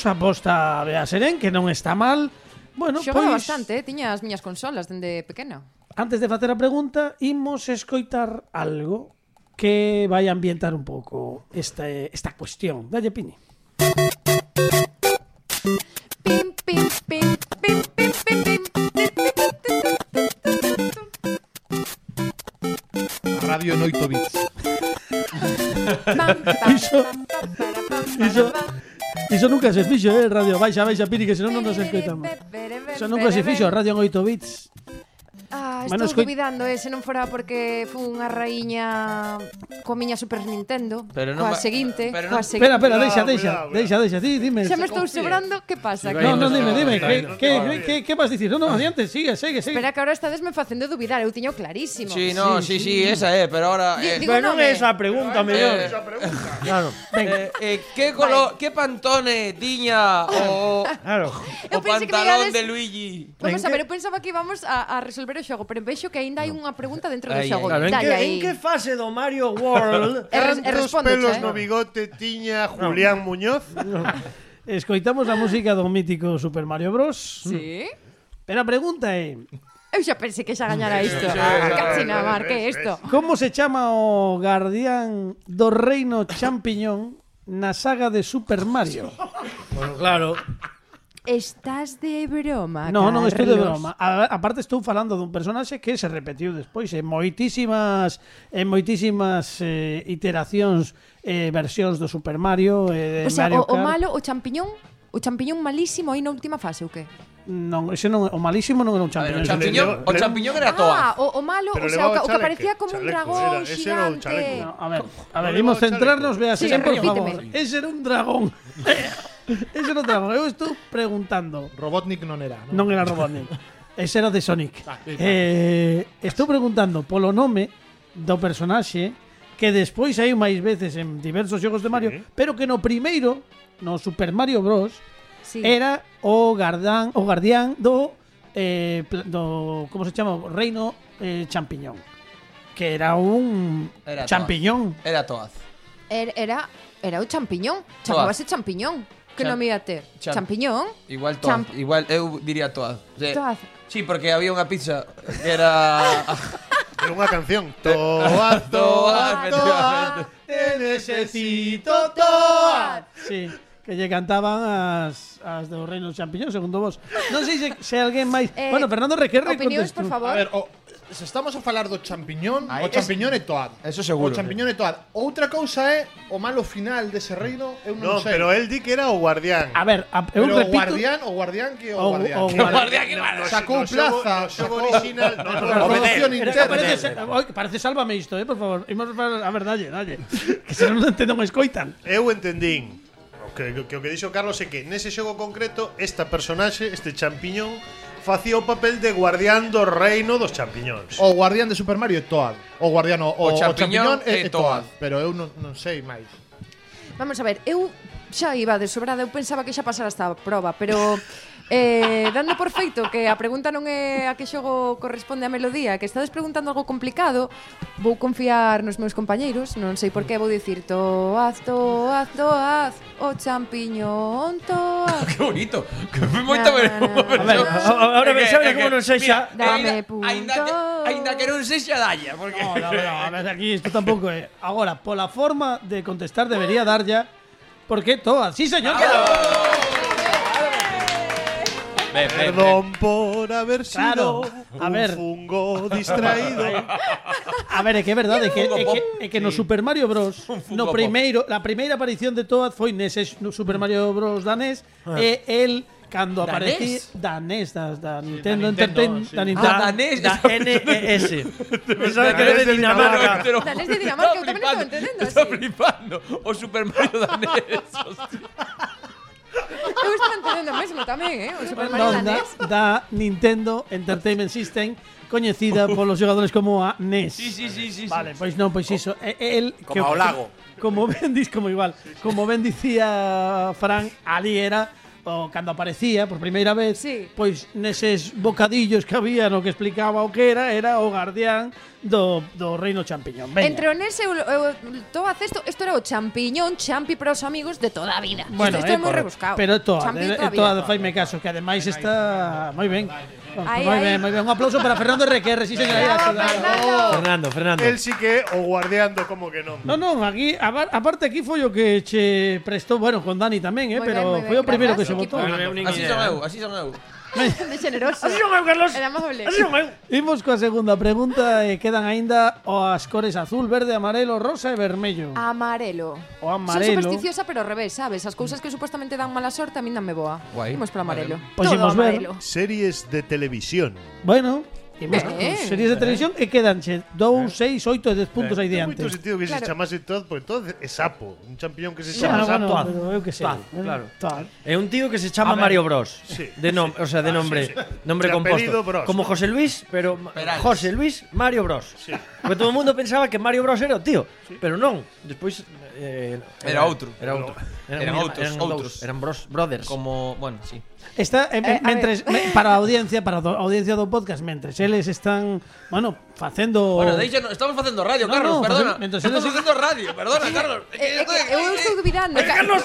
aposta Bea Serén, que non está mal. Bueno, Xogaba pois bastante, tiña as miñas consolas dende pequena. antes de facer a pregunta, imos escoitar algo que vai ambientar un pouco esta cuestión. Dalle, Pini. Pim, pim, pim, pim, pim, pim, pim. radio en 8 bits. Iso nunca se fixo, radio. Baixa, Piri, que senón non nos escoitamos. Iso nunca se fixo, radio en 8 bits. Estou dubidando, se non fora porque fun unha raíña coa miña Super Nintendo, coa seguinte. Espera, deixa, dime. Xa me estou sobrando, que pasa? No, dime, que vas dicir? No, adiante, sigue. Espera que ahora estades me facendo dubidar, eu tiño clarísimo. Sí, esa pero ahora... Pero non é esa pregunta, mellor. Claro. Que Pantone tiña o pantalón de Luigi? Vamos a ver, eu pensaba que íbamos a resolver o xogo, pero vexo que aínda hai unha pregunta dentro do xogo. Claro, en que fase do Mario World cantos pelos no bigote tiña Julián Muñoz? Escoitamos a música do mítico Super Mario Bros. Sí. Pero a pregunta é... Eu xa pensei que xa gañara isto. Cachina, Mar, que é isto? Como se chama o guardián do reino champiñón na saga de Super Mario? Bueno, claro. Estás de broma, No, non estou de broma. Aparte estou falando dun personaxe que se repetiu despois en moitísimas iteracións, versións do Super Mario, de o sea, Mario Kart. O malo, o champiñón malísimo aí na última fase, ou que? Non, ese non, o malísimo non era un champiñón. O champiñón era Toad. O malo, o sea, o que parecía como un dragón xigante. A ver, imos centrarnos, vea, Sí, por repíteme. favor. Ese era un dragón. Ese era un dragón. Eu estou preguntando. Robotnik non era, non? Non era Robotnik. Ese era de Sonic. Estou preguntando polo nome do personaxe que despois hai máis veces en diversos xogos de Mario, pero que no primeiro, no Super Mario Bros, era o guardián do como se chama? Reino champiñón. Que era un champiñón. Era Toad. Era o champiñón. Chamábase champiñón. Que non me ia ter? Champiñón? Igual Toad. Igual eu diría Toad. Toad. Sí, porque había unha pizza que era... Era unha canción. Toad, te necesito Toad. Sí, que lle cantaban as do Reino Champiñón, segundo vos. Non sei se alguén máis... Bueno, Fernando Requerre opinións, por favor. A ver, se estamos a falar do champiñón, o champiñón é Toad. Eso seguro. O champiñón é Toad. Outra cousa é o malo final dese reino, eu non sei. pero el di que era o guardián. A ver, eu Pero repito... o guardián que o guardián. O guardián que malo. Sacou plaza, xogo original. promoción interna. Parece sálvame isto, por favor. Imos a ver, dalle. Que se non entendo, non escoitan. Eu entendín que o que dixo Carlos é que nese xogo concreto esta personaxe, este champiñón, facía o papel de guardián do reino dos champiñóns. O guardián de Super Mario é Toad. O guardián o champiñón é Toad. Toad, pero eu non sei máis. Vamos a ver, eu xa iba de sobrada, eu pensaba que xa pasara esta prova, pero dando por feito que a pregunta non é a que xogo corresponde a melodía, que estades preguntando algo complicado, vou confiar nos meus compañeiros, non sei por que vou dicir Toad, o champiñón Toad. Que bonito. Que foi moito A ver, ahora pensaba como non sei xa. Dame punto. Ainda que non sexa dalla, porque No, a ver, aquí isto tampouco é. Agora, pola forma de contestar debería dar ya. Porque Toad, sí señor. Perdón por haber sido a ver. fungo distraído. A ver, é que é verdade é que no Super Mario Bros. No primeiro, la primeira aparición de Toad foi nese no Super Mario Bros. Danés e el cando aparecía danés da Nintendo Entertainment, da Nintendo danés, da NES. Pensaba que era de Dinamarca. Danés de Dinamarca, eu tamén estou entendendo así. Estou flipando. O Super Mario danés. Eu estou entendendo mesmo tamén, o Super Mario danés. Da Nintendo Entertainment System, coñecida polos xogadores como a NES. Sí. Vale, pois non, pois iso. El Como ao lago. Como ben dicía Fran, ali era o cando aparecía por primeira vez, pois neses bocadillos que había no que explicaba o que era o guardián do reino champiñón. Venga. Entre o NES e o Toad, isto era o champiñón, champi para os amigos de toda a vida. Bueno, isto é moi rebuscado. Pero Toad faime caso, que ademais está moi ben. Moi ben. Un aplauso para Fernando Requerre, sí, señora. Fernando. El sí que o guardián do como que non. Non, aquí, aparte aquí foi o que che prestou, bueno, con Dani tamén, pero foi o primeiro que se votou. Así son eu. De generoso. Así son eu, Carlos. Era amable. Así son eu. Imos coa segunda pregunta e quedan aínda as cores azul, verde, amarelo, rosa e vermello. Amarelo. O amarelo. Son supersticiosa, pero ao revés, sabes? As cousas que supuestamente dan mala sorte a min danme boa. Guai. Imos para amarelo. Pois Todo imos ver. amarelo. Series de televisión. Bueno, imos con Ben. series de televisión e quedanche 2, 6, 8 e 10 puntos aí Ten diante. moito sentido que se Claro. chamase Todd, porque Todd é sapo. Un champiñón que se Sí, chama bueno, sapo. pero eu que sei. Todd, claro. Todd. É un tío que se chama Mario Bros. Sí. De o sea, de nombre, nombre De composto. apellido Bros. Como José Luis, pero Perales. José Luis Mario Bros. Sí. Porque todo o mundo pensaba que Mario Bros era o tío, pero non. Despois Era outro. Era outro. Eran outros, outros. Eran brothers. Como, bueno, sí. Está a para a audiencia, para a audiencia do podcast, mentres eles están, bueno, facendo Bueno, estamos facendo radio, No, Carlos, no, perdona. entonces Estamos eles- facendo radio, perdona, Carlos. Eu estou dubidando. Carlos,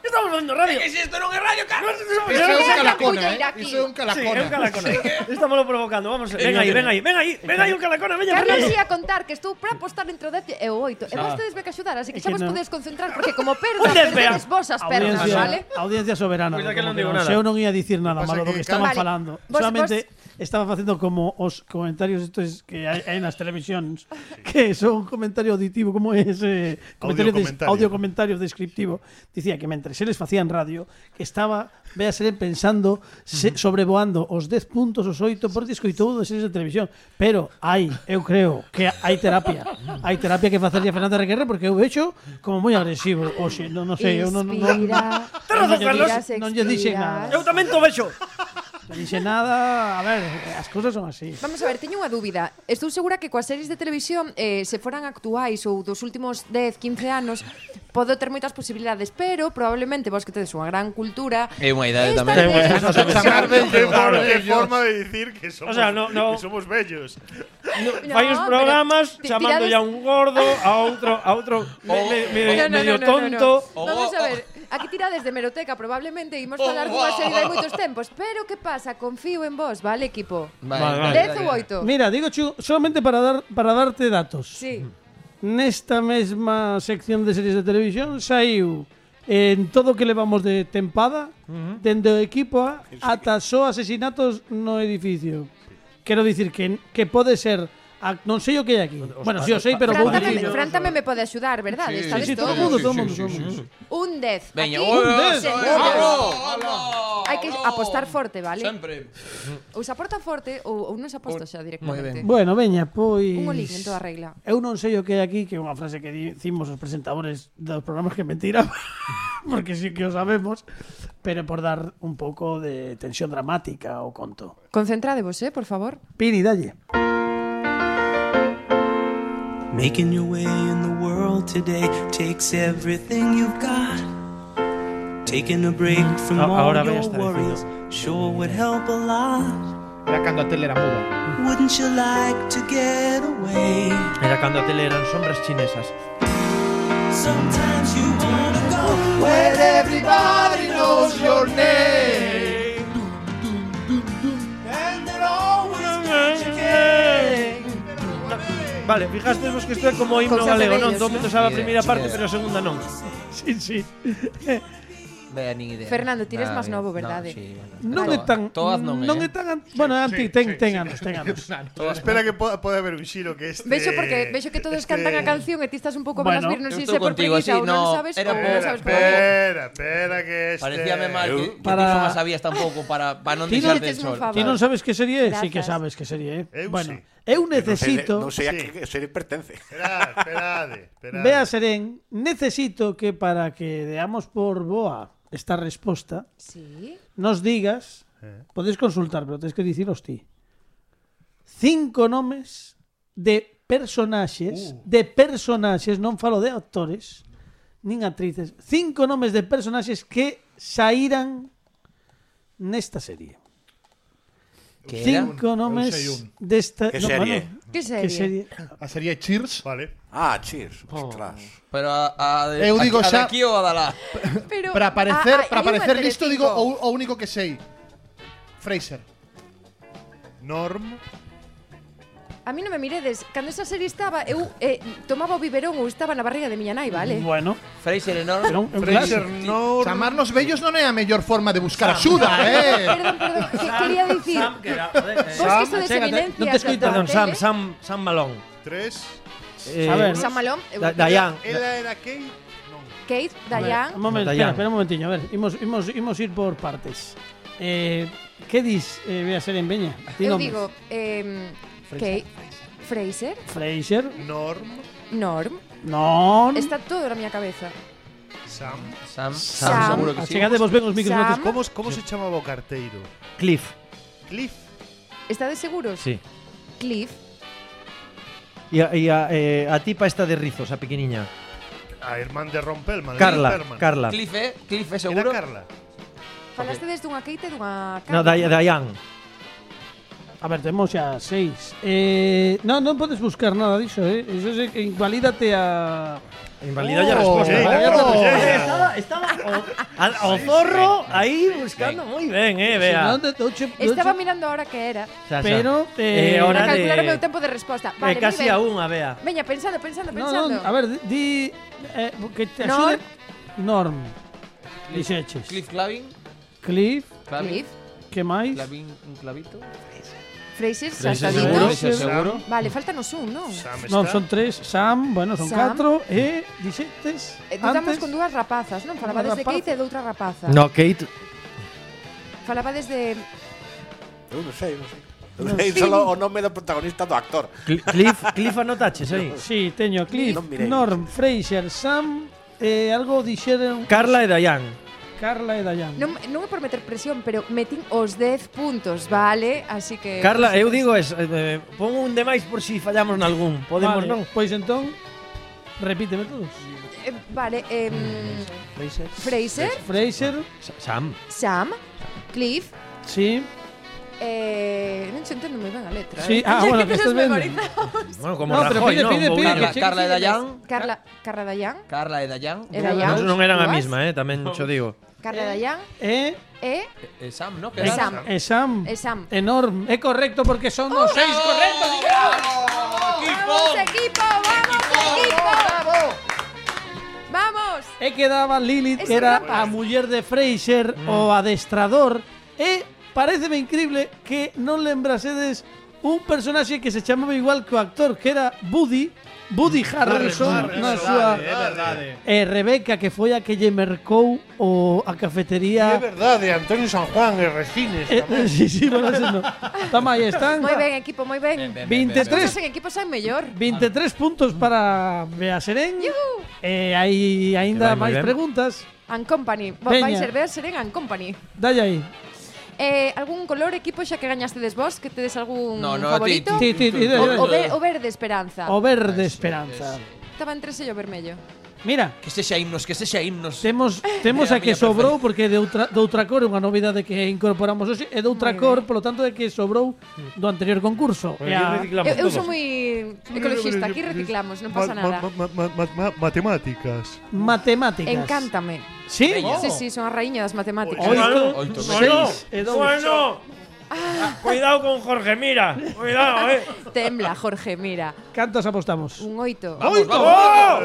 estamos facendo radio. Que si isto non é radio, Carlos. Iso é un Venga, calacona, puñeira aquí. Iso é un Sí, calacona. é un calacona. Estámoslo provocando, vamos. Ven aí un calacona, veña. Carlos ia contar que estou para apostar entre o 10 e o 8. E vos tedes que axudar, así que É xa que vos non. podedes concentrar porque como Un perda, 10, perdedes vos as pernas, vale? audiencia soberana. Pois daquela non como que digo non, nada. se eu non ia dicir nada Pasa malo do que que estaban Vale. falando. Vos- Solamente estaba facendo como os comentarios estos que hai nas televisións, que son comentario auditivo, como é ese audio comentario descriptivo. Dicía que mentres eles facían radio, que estaba véase pensando, sobrevoando os 10 puntos, os 8, porque escoitou das series de televisión. Pero eu creo que hai terapia. Hai terapia que facerlle a Fernanda Requerre, porque eu vexo como moi agresivo. Oxe, non sei, eu non Inspira, Ten razón, Carlos. non lle dixen nada. Eu tamén to vexo. Non dixe nada, a ver, as cousas son así. Vamos a ver, teño unha dúbida. Estou segura que coas series de televisión, se foran actuais ou dos últimos 10, 15 anos, podo ter moitas posibilidades, pero probablemente vos que tedes unha gran cultura... É unha idade esta tamén. vez- Chamar Qué bello. forma de decir que somos, O sea, no. que somos bellos. Fai uns pero programas ti- chamándolle tirades- a un gordo, a outro medio tonto. Vamos a ver, aquí tirades de meroteca, probablemente imos falar dunha serie de hai moitos tempos, pero que pasa? Confío en vos, vale, equipo? Vale. 10 ou 8? Mira, digo solamente para darte datos. Sí. Nesta mesma sección de series de televisión saiu en todo o que levamos de tempada, dende o equipo A ata só asesinatos no edificio. Quero dicir que pode ser non sei o que hai aquí. Bueno, si o sei, pero vou dicir. Fran tamén me pode axudar, verdade? Sí, Estades Sí, todo o todos. mundo. Un 10. Veña, Aquí, oi, señores. Hai que apostar forte, vale? Sempre. Ou se aporta forte ou non se aposta xa directamente. Bueno, veña, pois Un olín en toda regla. Eu non sei o que hai aquí, que é unha frase que dicimos os presentadores dos programas que mentira, porque sí que o sabemos, pero por dar un pouco de tensión dramática ao conto. Concentradevos, por favor. Pini, dalle. Making your way in the world today takes everything you've got. Taking a break from all Ahora voy a your estar worries sure would help a lot. Era cando a tele era muda. Wouldn't you like to get away? Era cando a tele eran sombras chinesas. Sometimes you wanna go Where everybody knows your name. and they're always what you get. Vale, fijaste vos que isto é como himno Cousas de galego, non? vellos, Todo non? meto sabe a Sí, primeira sí, parte, sí. pero a segunda non. Sí. Vea, nin idea. Fernando, ti eres Nada, máis novo, no, verdade? sí, bueno. Non Vale. é tan Todas non é tan bueno, anti ten anos. Espera que pode haber un xiro que este... Vexo porque vexo que todos cantan a canción e ti estás un pouco Bueno, menos vir, non eu sei estou se por contigo, preguiça así, ou non no, sabes era ou non sabes por qué. Espera que este... Parecíame mal que Para- ti non sabías tampouco para non Ti deixarte non- el sol. Favor. Ti non sabes que serie é? Sí que Grazas. sabes que serie é. Eu Bueno, sí. eu necesito Non sei a Sí. que serie pertence. Esperade. Vea, Serén, necesito que para que deamos por boa esta resposta, Sí. nos digas, podes consultar, pero tens que diciros ti. 5 nomes de personaxes, non falo de actores, nin actrices, 5 nomes de personaxes que saíran nesta serie. Que era? 5 nomes Eu sei un. desta... Que serie? Que serie? Que serie? A serie Cheers. Vale. Ah, cheers. Ostras. Pero a Eu digo a xa- de aquí ou a da lá? Pero Para aparecer, hai unha listo digo Telecinco. o único que sei. Fraser. Norm. A mí non me miredes. Cando esa serie estaba, eu tomaba o biberón ou estaba na barriga de miña nai, vale? Bueno, Fraser enorme. pero Fraser Norm. Chamarnos vellos non é a mellor forma de buscar axuda, Perdón, que quería dicir. Sam, que era, Vos que sodes eminencias. non te escoito. Perdón, Sam Malón. 3. A ver. Sam Malón. Diane. Ela era Kate? Non. Kate, Diane. un momento, Dayan. espera un momentiño, a ver, imos ir por partes. Que dis ve a ser en Veña? Ti Eu nombres. digo, Kate, Fraser, Fraser, Norm. Norm. non. Está todo na miña cabeza. Sam. Sam, Sam. seguro que sí. Achegade vos ben os micros Sam. antes. Como se chamaba o carteiro? Cliff. Cliff. Estades seguros? Sí. Cliff. E a tipa esta de rizos, a pequeniña. A irmán de Ron Perlman. Carla. Cliff, Era seguro. Carla. Falaste desde dunha Kate e dunha No, Carla. Diane. A ver, temos xa 6. Non podes buscar nada diso, Iso é que invalídate a... Invalida a resposta. Estaba o zorro aí buscando moi ben, vea. Estaba mirando ahora que era. Pero Para hora calcular o meu de tempo de resposta. Vale, casi moi a ben. unha, vea. Veña, pensando. Non, a ver, di que te Norm. axude Norm. Dixeches. Cliff Clavin. Cliff, Cliff. que máis? Clavin, un clavito. Fraser, Fraser, saltadito. Fraser, seguro. Vale, faltanos un, non? Sam Non, está. son 3. Sam, bueno, son Sam. 4. E dixetes Dudamos antes. con dúas rapazas, non? Falabades de rapaza. Kate e de outra rapaza. No, Kate. Falabades de... Eu non sei. Eu sei solo o nome do protagonista do actor. Cliff anotaches aí. Sí, teño Cliff, Non mirei. Norm, Fraser, Sam, algo dixeron Carla e Diane. Carla e Dayan. Non é por meter presión, pero metín os 10 puntos, vale? Así que... Carla, eu digo pon un de máis por si fallamos nalgún. Podemos, Vale, non? Pois entón, repíteme todos. Vale, Fraser. Fraser, Sam. Sam, Cliff, Sí. non se entendo moi ben a letra. Sí, bueno, que estás vendo. Bueno, como No, pero Rajoy, pide, non? pide, Un pide. pouquinho. Carla e Dayan. Carla Dayan. Carla e Dayan. E Dayan. Non eran a Dúas. mesma, tamén cho digo. Carla Dayan. E Sam, ¿no? E Sam. E Sam. E Sam. Enorme. É correcto porque son os 6 correctos. ¡Vamos, equipo! ¡Vamos, equipo! ¡Vamos! E quedaba Lilith, Es que era verdad. a muller de Fraser, o adestrador. E pareceme increíble que non lembrasedes un personaxe que se chamaba igual que o actor, que era Woody Harrelson na súa e Rebeca, que foi a que lle mercou a cafetería. É verdade, Antonio San Juan e Resines tamén. Sí, bueno, ese no. Toma, aí están. Moi ben, equipo, moi ben. 23 Todos en equipo son mellor. 23 puntos para Bea Serén. Yuhu. E hai aínda Que vai moi máis ben. preguntas. And Company. Veña. Vai ser Bea Serén and Company. Dalle aí. Algún color, equipo, xa que gañastedes vos? Que tedes algún No, favorito? Ti, dalle. O verde esperanza. O verde esperanza. Estaba entre ese e o vermello. Mira, Que sexa himnos, que sexa himnos. temos Era a que a miña sobrou porque de outra cor, unha novidade que incorporamos hoxe, é de outra Moi cor, ben. polo tanto é que sobrou do anterior concurso. E a- Eu son moi ecologista, aquí reciclamos, non pasa nada. Matemáticas. matemáticas. Encántame. Sí? Veña. Sí, son a raíña das matemáticas. Oito. 6 e 2. Cuidado con Jorge, mira. Cuidado, Tembla, Jorge, mira. Cantos apostamos? Un 8. Vamos, vamos.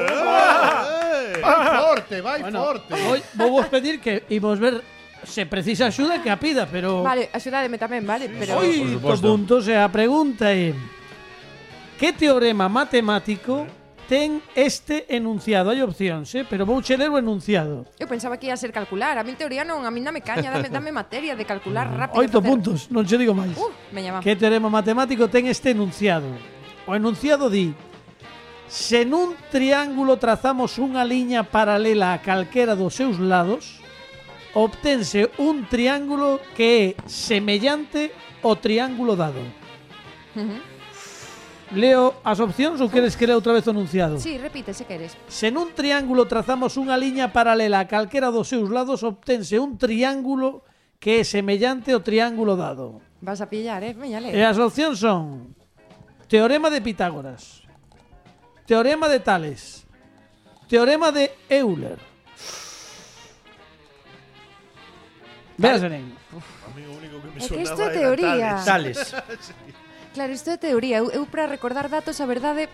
Vai forte, vai Bueno, forte. hoy vou vos pedir que imos ver se precisa axuda que a pida, pero Vale, axudádeme tamén, vale? Pero oito puntos e a pregunta é: que teorema matemático ten este enunciado? Hai opcións, pero vou ler o enunciado. eu pensaba que ia ser calcular. A min teoría non, a min dame caña, dame materia de calcular rápido. 8 facer. puntos, non che digo máis. Veña, va. Que teorema matemático ten este enunciado? O enunciado di: se nun triángulo trazamos unha liña paralela a calquera dos seus lados, obtense un triángulo que é semellante ao triángulo dado. Leo as opcións ou queres que lea outra vez o enunciado? Sí, repite, se queres. Se nun triángulo trazamos unha liña paralela a calquera dos seus lados, obtense un triángulo que é semellante ao triángulo dado. Vas a pillar, veña, E lee. as opcións son: teorema de Pitágoras, teorema de Tales, teorema de Euler. Veas, Serén. A mí o único que me É que isto sonaba é era teoría. Tales. Tales. Claro, isto é teoría. Eu para recordar datos, a verdade,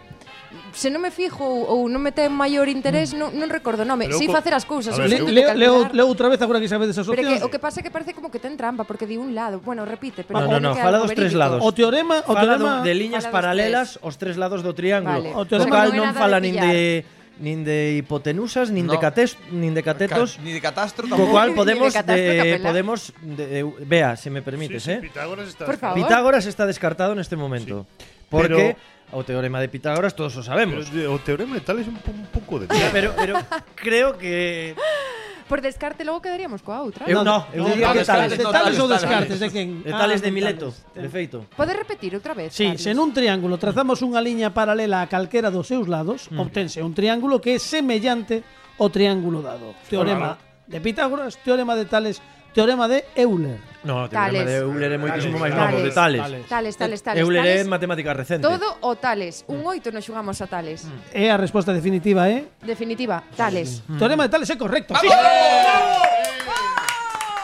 se non me fijo ou non me ten maior interés, non recordo o nome. Pero Si co- facer as cousas, A ver, eu sei de calcular. Leo outra vez agora que sabedes as Pero opcións. que, o que pasa é que parece como que ten trampa, porque di un lado. Bueno, repite, pero No, que fala algo dos tres verídico. lados. O teorema Fala de liñas Fala dos paralelas os tres lados do triángulo. Vale. O O teorema cal non é non nada fala de nin de hipotenusas, nin No. de catetos. Ni de catastro Co tampouco. cual Ni de podemos catastro capela. vea, se me permites, Pitágoras está Por favor. Pitágoras está descartado neste momento. Porque o teorema de Pitágoras todos o sabemos. O teorema de Tales é un pouco de Pero creo que Por descarte logo quedaríamos coa outra. eu diría que tales. De tales ou descartes de quen? De tales de de Mileto, Tales. de feito. Podes repetir outra vez? Sí, Carlos? se nun triángulo trazamos unha liña paralela a calquera dos seus lados, obtense un triángulo que é semellante ao triángulo dado. Teorema de Pitágoras, teorema de Tales, teorema de Euler. No, o Tales. teorema de Euler é moitísimo máis Tales. novo, de tales. Tales. Euler é Tales. matemática recente. Todo o tales. Un 8 nos xugamos a tales. E a resposta definitiva é Definitiva, tales. teorema de Tales é correcto. Sí.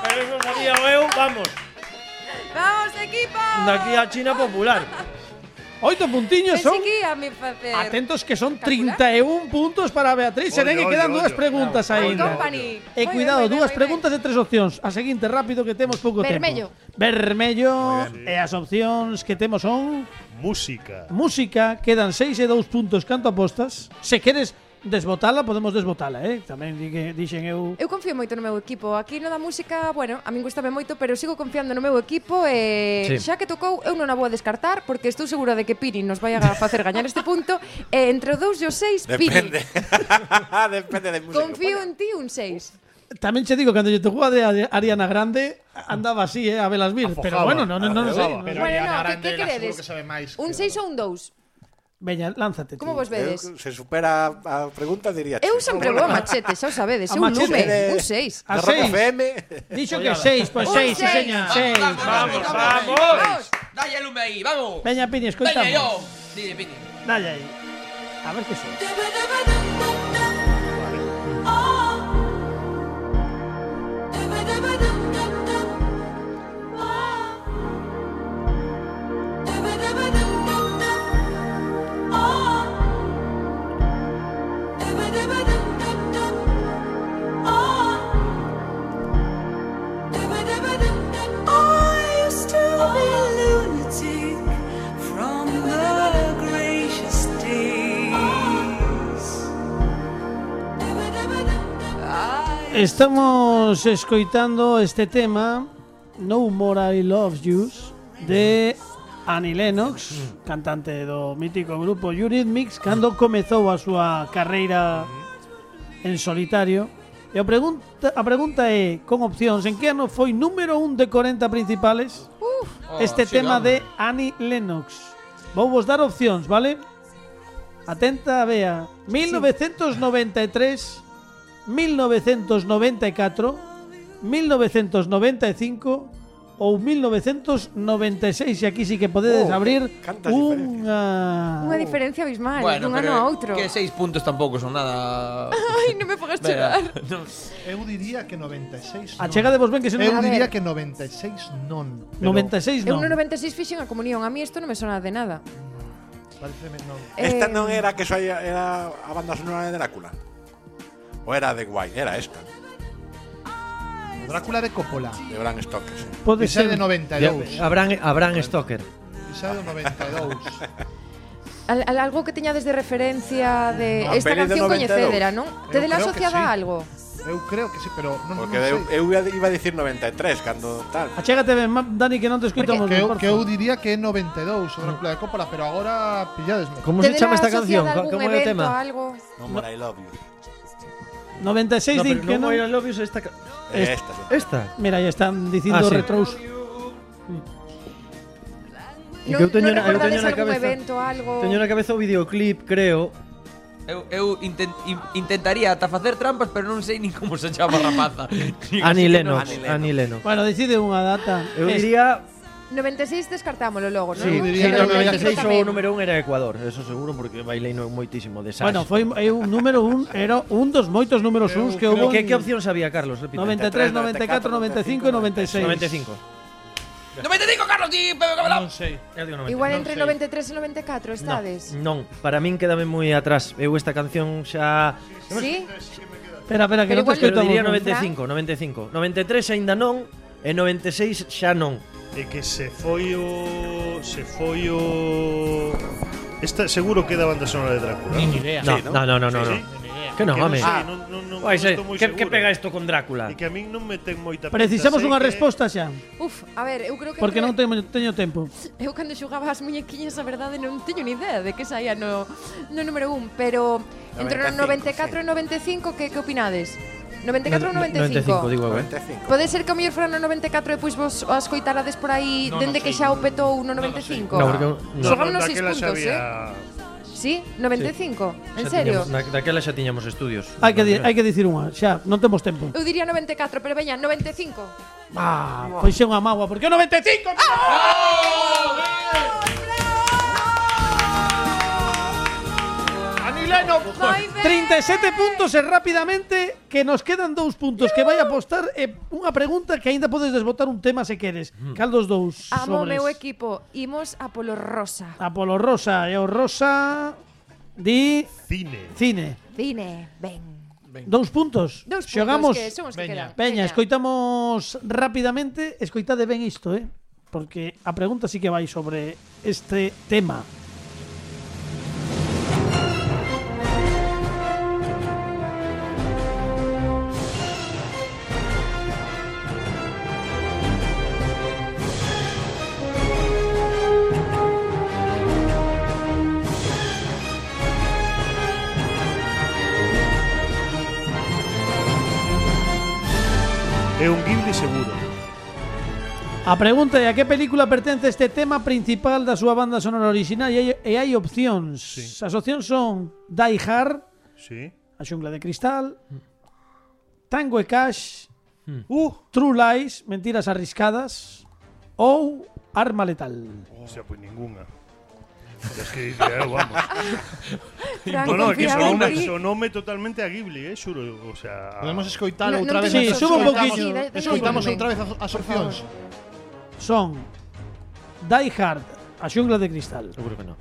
Pero eso sabía eu, vamos. Vamos, equipo! Daqui a China popular. 8 puntiños son. Pensei que ia me facer. Atentos que son Calcular. 31 puntos para Beatriz. Serén e quedan dúas preguntas aínda. Company. E cuidado, Moi ben, dúas moi ben. preguntas e tres opcións. A seguinte rápido que temos pouco Vermello. tempo. Vermello. E as opcións que temos son música. música, quedan 6 e 2 puntos canto apostas. Se queres desbotala, podemos desbotala, Tamén dixen eu. Eu confío moito no meu equipo. Aquí no da música, bueno, a min gustame moito, pero sigo confiando no meu equipo e Sí. xa que tocou, eu non a vou a descartar porque estou segura de que Piri nos vai a facer gañar este punto e entre o 2 e o 6, Piri. Depende. Depende de música. Confío en ti un 6. Tamén che digo, cando lle tocou a de Ariana Grande, andaba así, a velas vir. Pero bueno, non sei. Pero Bueno, Ariana no, Grande que la queredes? seguro que sabe máis. Un 6 ou un 2? Veña, lánzate. Como tío. vos vedes? Se supera a pregunta, diría Eu sempre vou a machete, xa o sabedes, A un machete. lume, un 6. A De Rock 6. FM. Dixo que 6, pois Un 6, sí, seis. señor, 6. Vamos. Dalle lume aí, vamos. Veña, Pini, Veña, escoitamos. yo. Dile, Pini. Dalle aí. A ver que son. I used to be lunatic from the gracious days. Estamos escoitando este tema No More I Love Yous de Annie Lennox, cantante do mítico grupo Eurythmics, cando comezou a súa carreira en solitario. E a pregunta é, con opcións, en que ano foi número 1 de 40 principales este tema de Annie Lennox? Vou vos dar opcións, vale? Atenta, Bea. 1993, 1994, 1995 ou 1996, e aquí sí que podedes abrir cantas Unha diferencia abismal, dun ano a outro. Que 6 puntos tampouco son nada. Ai, non me pongas chorar. Eu diría que 96 non. Achegádevos ben que se non... Eu A diría ver. que 96 non. Pero 96 Eu non. no 96 fixen a comunión, a mí isto non me sona de nada. Pareceme non. Esta non era que era a banda sonora de Drácula. O era de Wine, era esta. Drácula de Coppola. De Bram Stoker, sí. Pode Esa ser de 92. Abraham Stoker. Esa de 92. Algo que teñades de referencia de A esta peli de canción 92. coñecedera, non? Eu Tedela creo que asociada sí. a algo? Eu creo que sí, pero non, Porque non sei. eu iba a dicir 93 cando tal. Achégate ben, Dani, que non te escoitamos Que ben, eu, por que eu favor. diría que é 92 o Drácula de Coppola, pero agora pilladesme. Como se Tedela chama esta canción? asociada a algún Como é o evento, tema? algo? No More I Love You. 96 No, din pero que no non. More I Love You es esta. Esta, sí. Esta. Mira, ya están dicindo Ah, sí. retros. E que eu teño na recordades algún cabeza. evento, algo? Teño na cabeza o videoclip, creo. Eu intentaría ata facer trampas, pero non sei nin como se chama a rapaza. Annie Lennox. Annie Lennox. Annie Lennox. Bueno, decide unha data. Eu diría 96 descartámolo logo, non? Sí, Eu sí, diría no, que 96 tamén. o número 1 era Ecuador, eso seguro, porque bailei moitísimo de Sash. Bueno, foi un número 1, era un dos moitos números 1 que houve. Que opción sabía, Carlos? Repite. 93, 94, 95 e 96. 95. 95, Carlos, di Pepe Capelán. Non sei. Eu digo 90. Igual non entre sei. 93 e 94 estades. Non, para min quédame moi atrás. Eu esta canción xa Sí? Espera, que Pero non te igual- pero escoitamos. diría non. 95. 93 aínda non e 96 xa non. É que se foi o esta seguro que é da banda sonora de Drácula. Ni idea. No, Sí, ¿no? no. Sí. Que non, Que home. sei, non Vai ser, estou moi que seguro. pega isto con Drácula? E que a min non me ten moita pinta. Precisamos sei unha que- resposta xa, Uf, a ver, eu creo que porque non entre- teño tempo. Eu cando xogaba as muñequiñas, a verdade non teño ni idea de que saía no número 1, pero entre o 94 e 95 que opinades? 94 ou 95? 95, digo eu, 95. Pode ser que o mellor fora no 94 e depois vos o escoitarades por aí dende que xa o petou no 95? No, porque Xogámonos 6 daquela xa puntos, había- Sí, 95. En xa serio? tiñamos- daquela xa tiñamos estudios. Hai que dicir unha, xa, non temos tempo. Eu diría 94, pero veña, 95. Pois é unha mágoa, porque o 95. Anileno. Moi ben. 37 puntos e rápidamente que nos quedan 2 puntos que vai apostar e unha pregunta que aínda podes desbotar un tema se queres. Cal dos dous Amo o sobres? meu equipo. Imos a polo rosa. Apolo Rosa e o Rosa di Cine. cine. Cine, ben. 2 puntos. Dous puntos Xogamos. que son os que quedan. Veña, escoitamos rapidamente, escoitade ben isto, porque a pregunta sí que vai sobre este tema. É un Ghibli seguro. A pregunta é a que película pertence este tema principal da súa banda sonora original e hai opcións. Sí. As opcións son Die Hard, Sí. A xungla de cristal, Tango e Cash, Uh, True Lies, Mentiras arriscadas ou Arma letal. o sea, pues ninguna. Es que dice, vamos. Fran, No, que confía en ti. sonome totalmente a Ghibli, xuro, o sea, Podemos escoitar No, outra non vez. te Sí, suba un Escoitamos- poquinho. Escoitamos Sí, outra vez as opcións. Son Die Hard, A xungla de cristal, Seguro que non.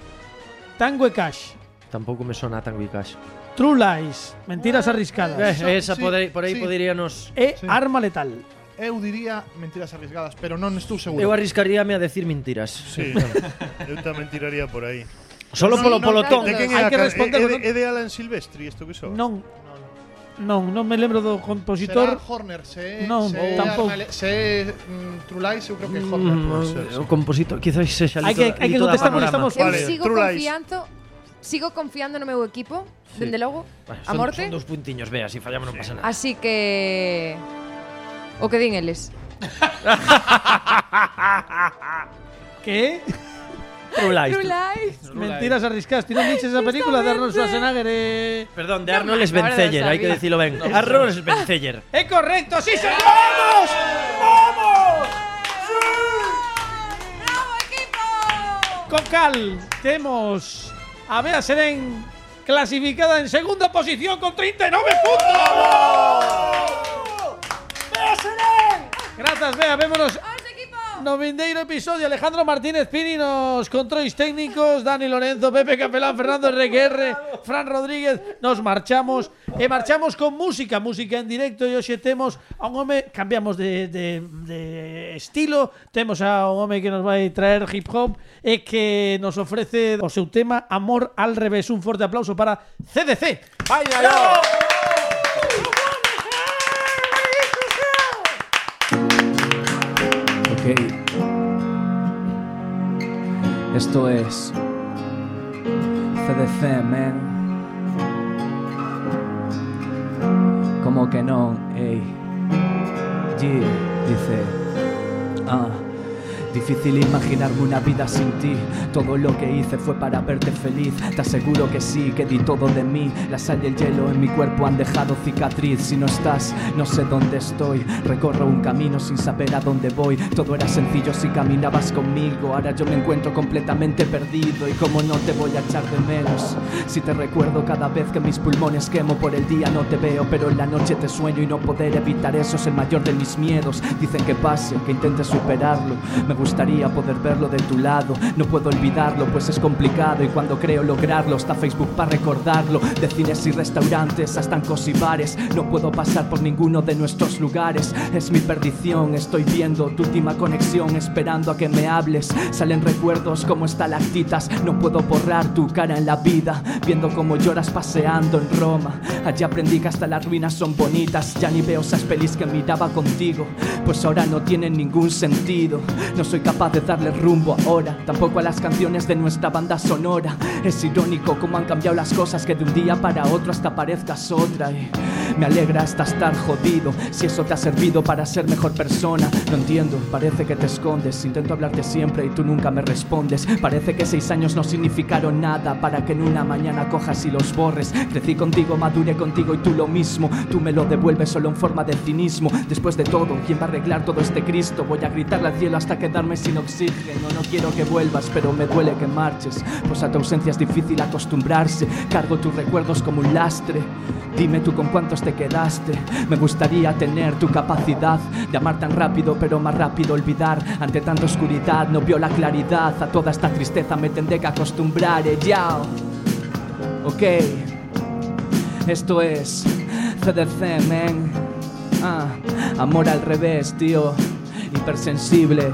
Tango e Cash, Tampouco me sona tan Cash. True Lies, Mentiras arriscadas Esa sí, por aí sí. poderíanos. e Sí. Arma letal. Eu diría mentiras arriesgadas, pero non estou seguro. Eu arriscaríame a decir mentiras. sí. Eu tamén tiraría por aí. Solo No, polo no, polotón. De quen Hai é a que ca- responder, é non? de Alan Silvestri isto que son? Non. Non me lembro do Será compositor. Horner, se Non, tampouco. Se True Lies, eu creo que é Horner. O compositor quizás sexa Hai que contestar porque estamos Eu Vale, sigo True Lies. confiando no meu equipo, dende logo, a Son morte. dos puntiños, vea, si fallamos non pasa nada. Así que o que din eles. Que? True Lies. True Lies. Mentiras arriscadas. Ti non viches esa película de Arnold Schwarzenegger Perdón, de Arnold me acuerdo, Schwarzenegger, hai que sabía. decirlo ben. Arnold Schwarzenegger. ¡Es correcto! ¡Sí, señor! ¡Vamos! ¡Vamos! ¡Bravo, equipo! Con cal, temos a Bea Serén clasificada en segunda posición con 39 puntos. ¡Bea Serén! Grazas, Bea. Vémonos ¡Vamos, equipo! no vindeiro episodio. Alejandro Martínez Pini nos controis técnicos, Dani Lorenzo, Pepe Capelán, Fernando RQR, Fran Rodríguez. Nos marchamos e marchamos con música en directo e hoxe temos a un home, cambiamos de estilo, temos a un home que nos vai traer hip hop e que nos ofrece o seu tema Amor al revés. Un forte aplauso para CDC. ¡Vaya yo! Ok. Esto es CDC, man. Como que no, ey. G dice. Difícil imaginarme una vida sin ti. Todo lo que hice fue para verte feliz. Te aseguro que sí, que di todo de mí. La sal y el hielo en mi cuerpo han dejado cicatriz. Si no estás, no sé dónde estoy. Recorro un camino sin saber a dónde voy. Todo era sencillo si caminabas conmigo. Ahora yo me encuentro completamente perdido. Y como no te voy a echar de menos. Si te recuerdo cada vez que mis pulmones quemo. Por el día no te veo, pero en la noche te sueño. Y no poder evitar eso es el mayor de mis miedos. Dicen que pase, que intente superarlo. Me gustaría poder verlo de tu lado. No puedo olvidarlo, pues es complicado. Y cuando creo lograrlo, está Facebook para recordarlo. De cines y restaurantes hasta estancos y bares. No puedo pasar por ninguno de nuestros lugares. Es mi perdición, estoy viendo tu última conexión, esperando a que me hables. Salen recuerdos como estalactitas. No puedo borrar tu cara en la vida, viendo cómo lloras paseando en Roma. Allí aprendí que hasta las ruinas son bonitas. Ya ni veo esas pelis que miraba contigo, pues ahora no tienen ningún sentido. No soy capaz de darle rumbo ahora, tampoco a las canciones de nuestra banda sonora. Es irónico cómo han cambiado las cosas, que de un día para otro hasta parezcas otra. Y me alegra hasta estar jodido, si eso te ha servido para ser mejor persona. No entiendo, parece que te escondes. Intento hablarte siempre y tú nunca me respondes. Parece que 6 años no significaron nada, para que en una mañana cojas y los borres. Crecí contigo, maduré contigo y tú lo mismo. Tú me lo devuelves solo en forma de cinismo. Después de todo, ¿quién va a arreglar todo este Cristo? Voy a gritarle al cielo hasta quedarme sin oxígeno. No quiero que vuelvas, pero me duele que marches, pues a tu ausencia es difícil acostumbrarse. Cargo tus recuerdos como un lastre. Dime tú con cuántos te quedaste. Me gustaría tener tu capacidad de amar tan rápido, pero más rápido olvidar. Ante tanta oscuridad no veo la claridad. A toda esta tristeza me tendré que acostumbrar. Yao. Ok, esto es CDC, man. Amor al revés, tío. Hipersensible.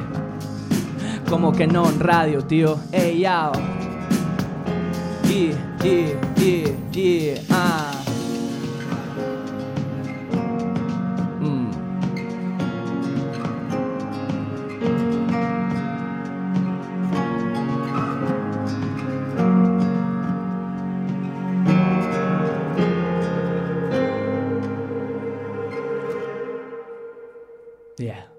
Como que no en radio, tío. Ey, yao. Yeah.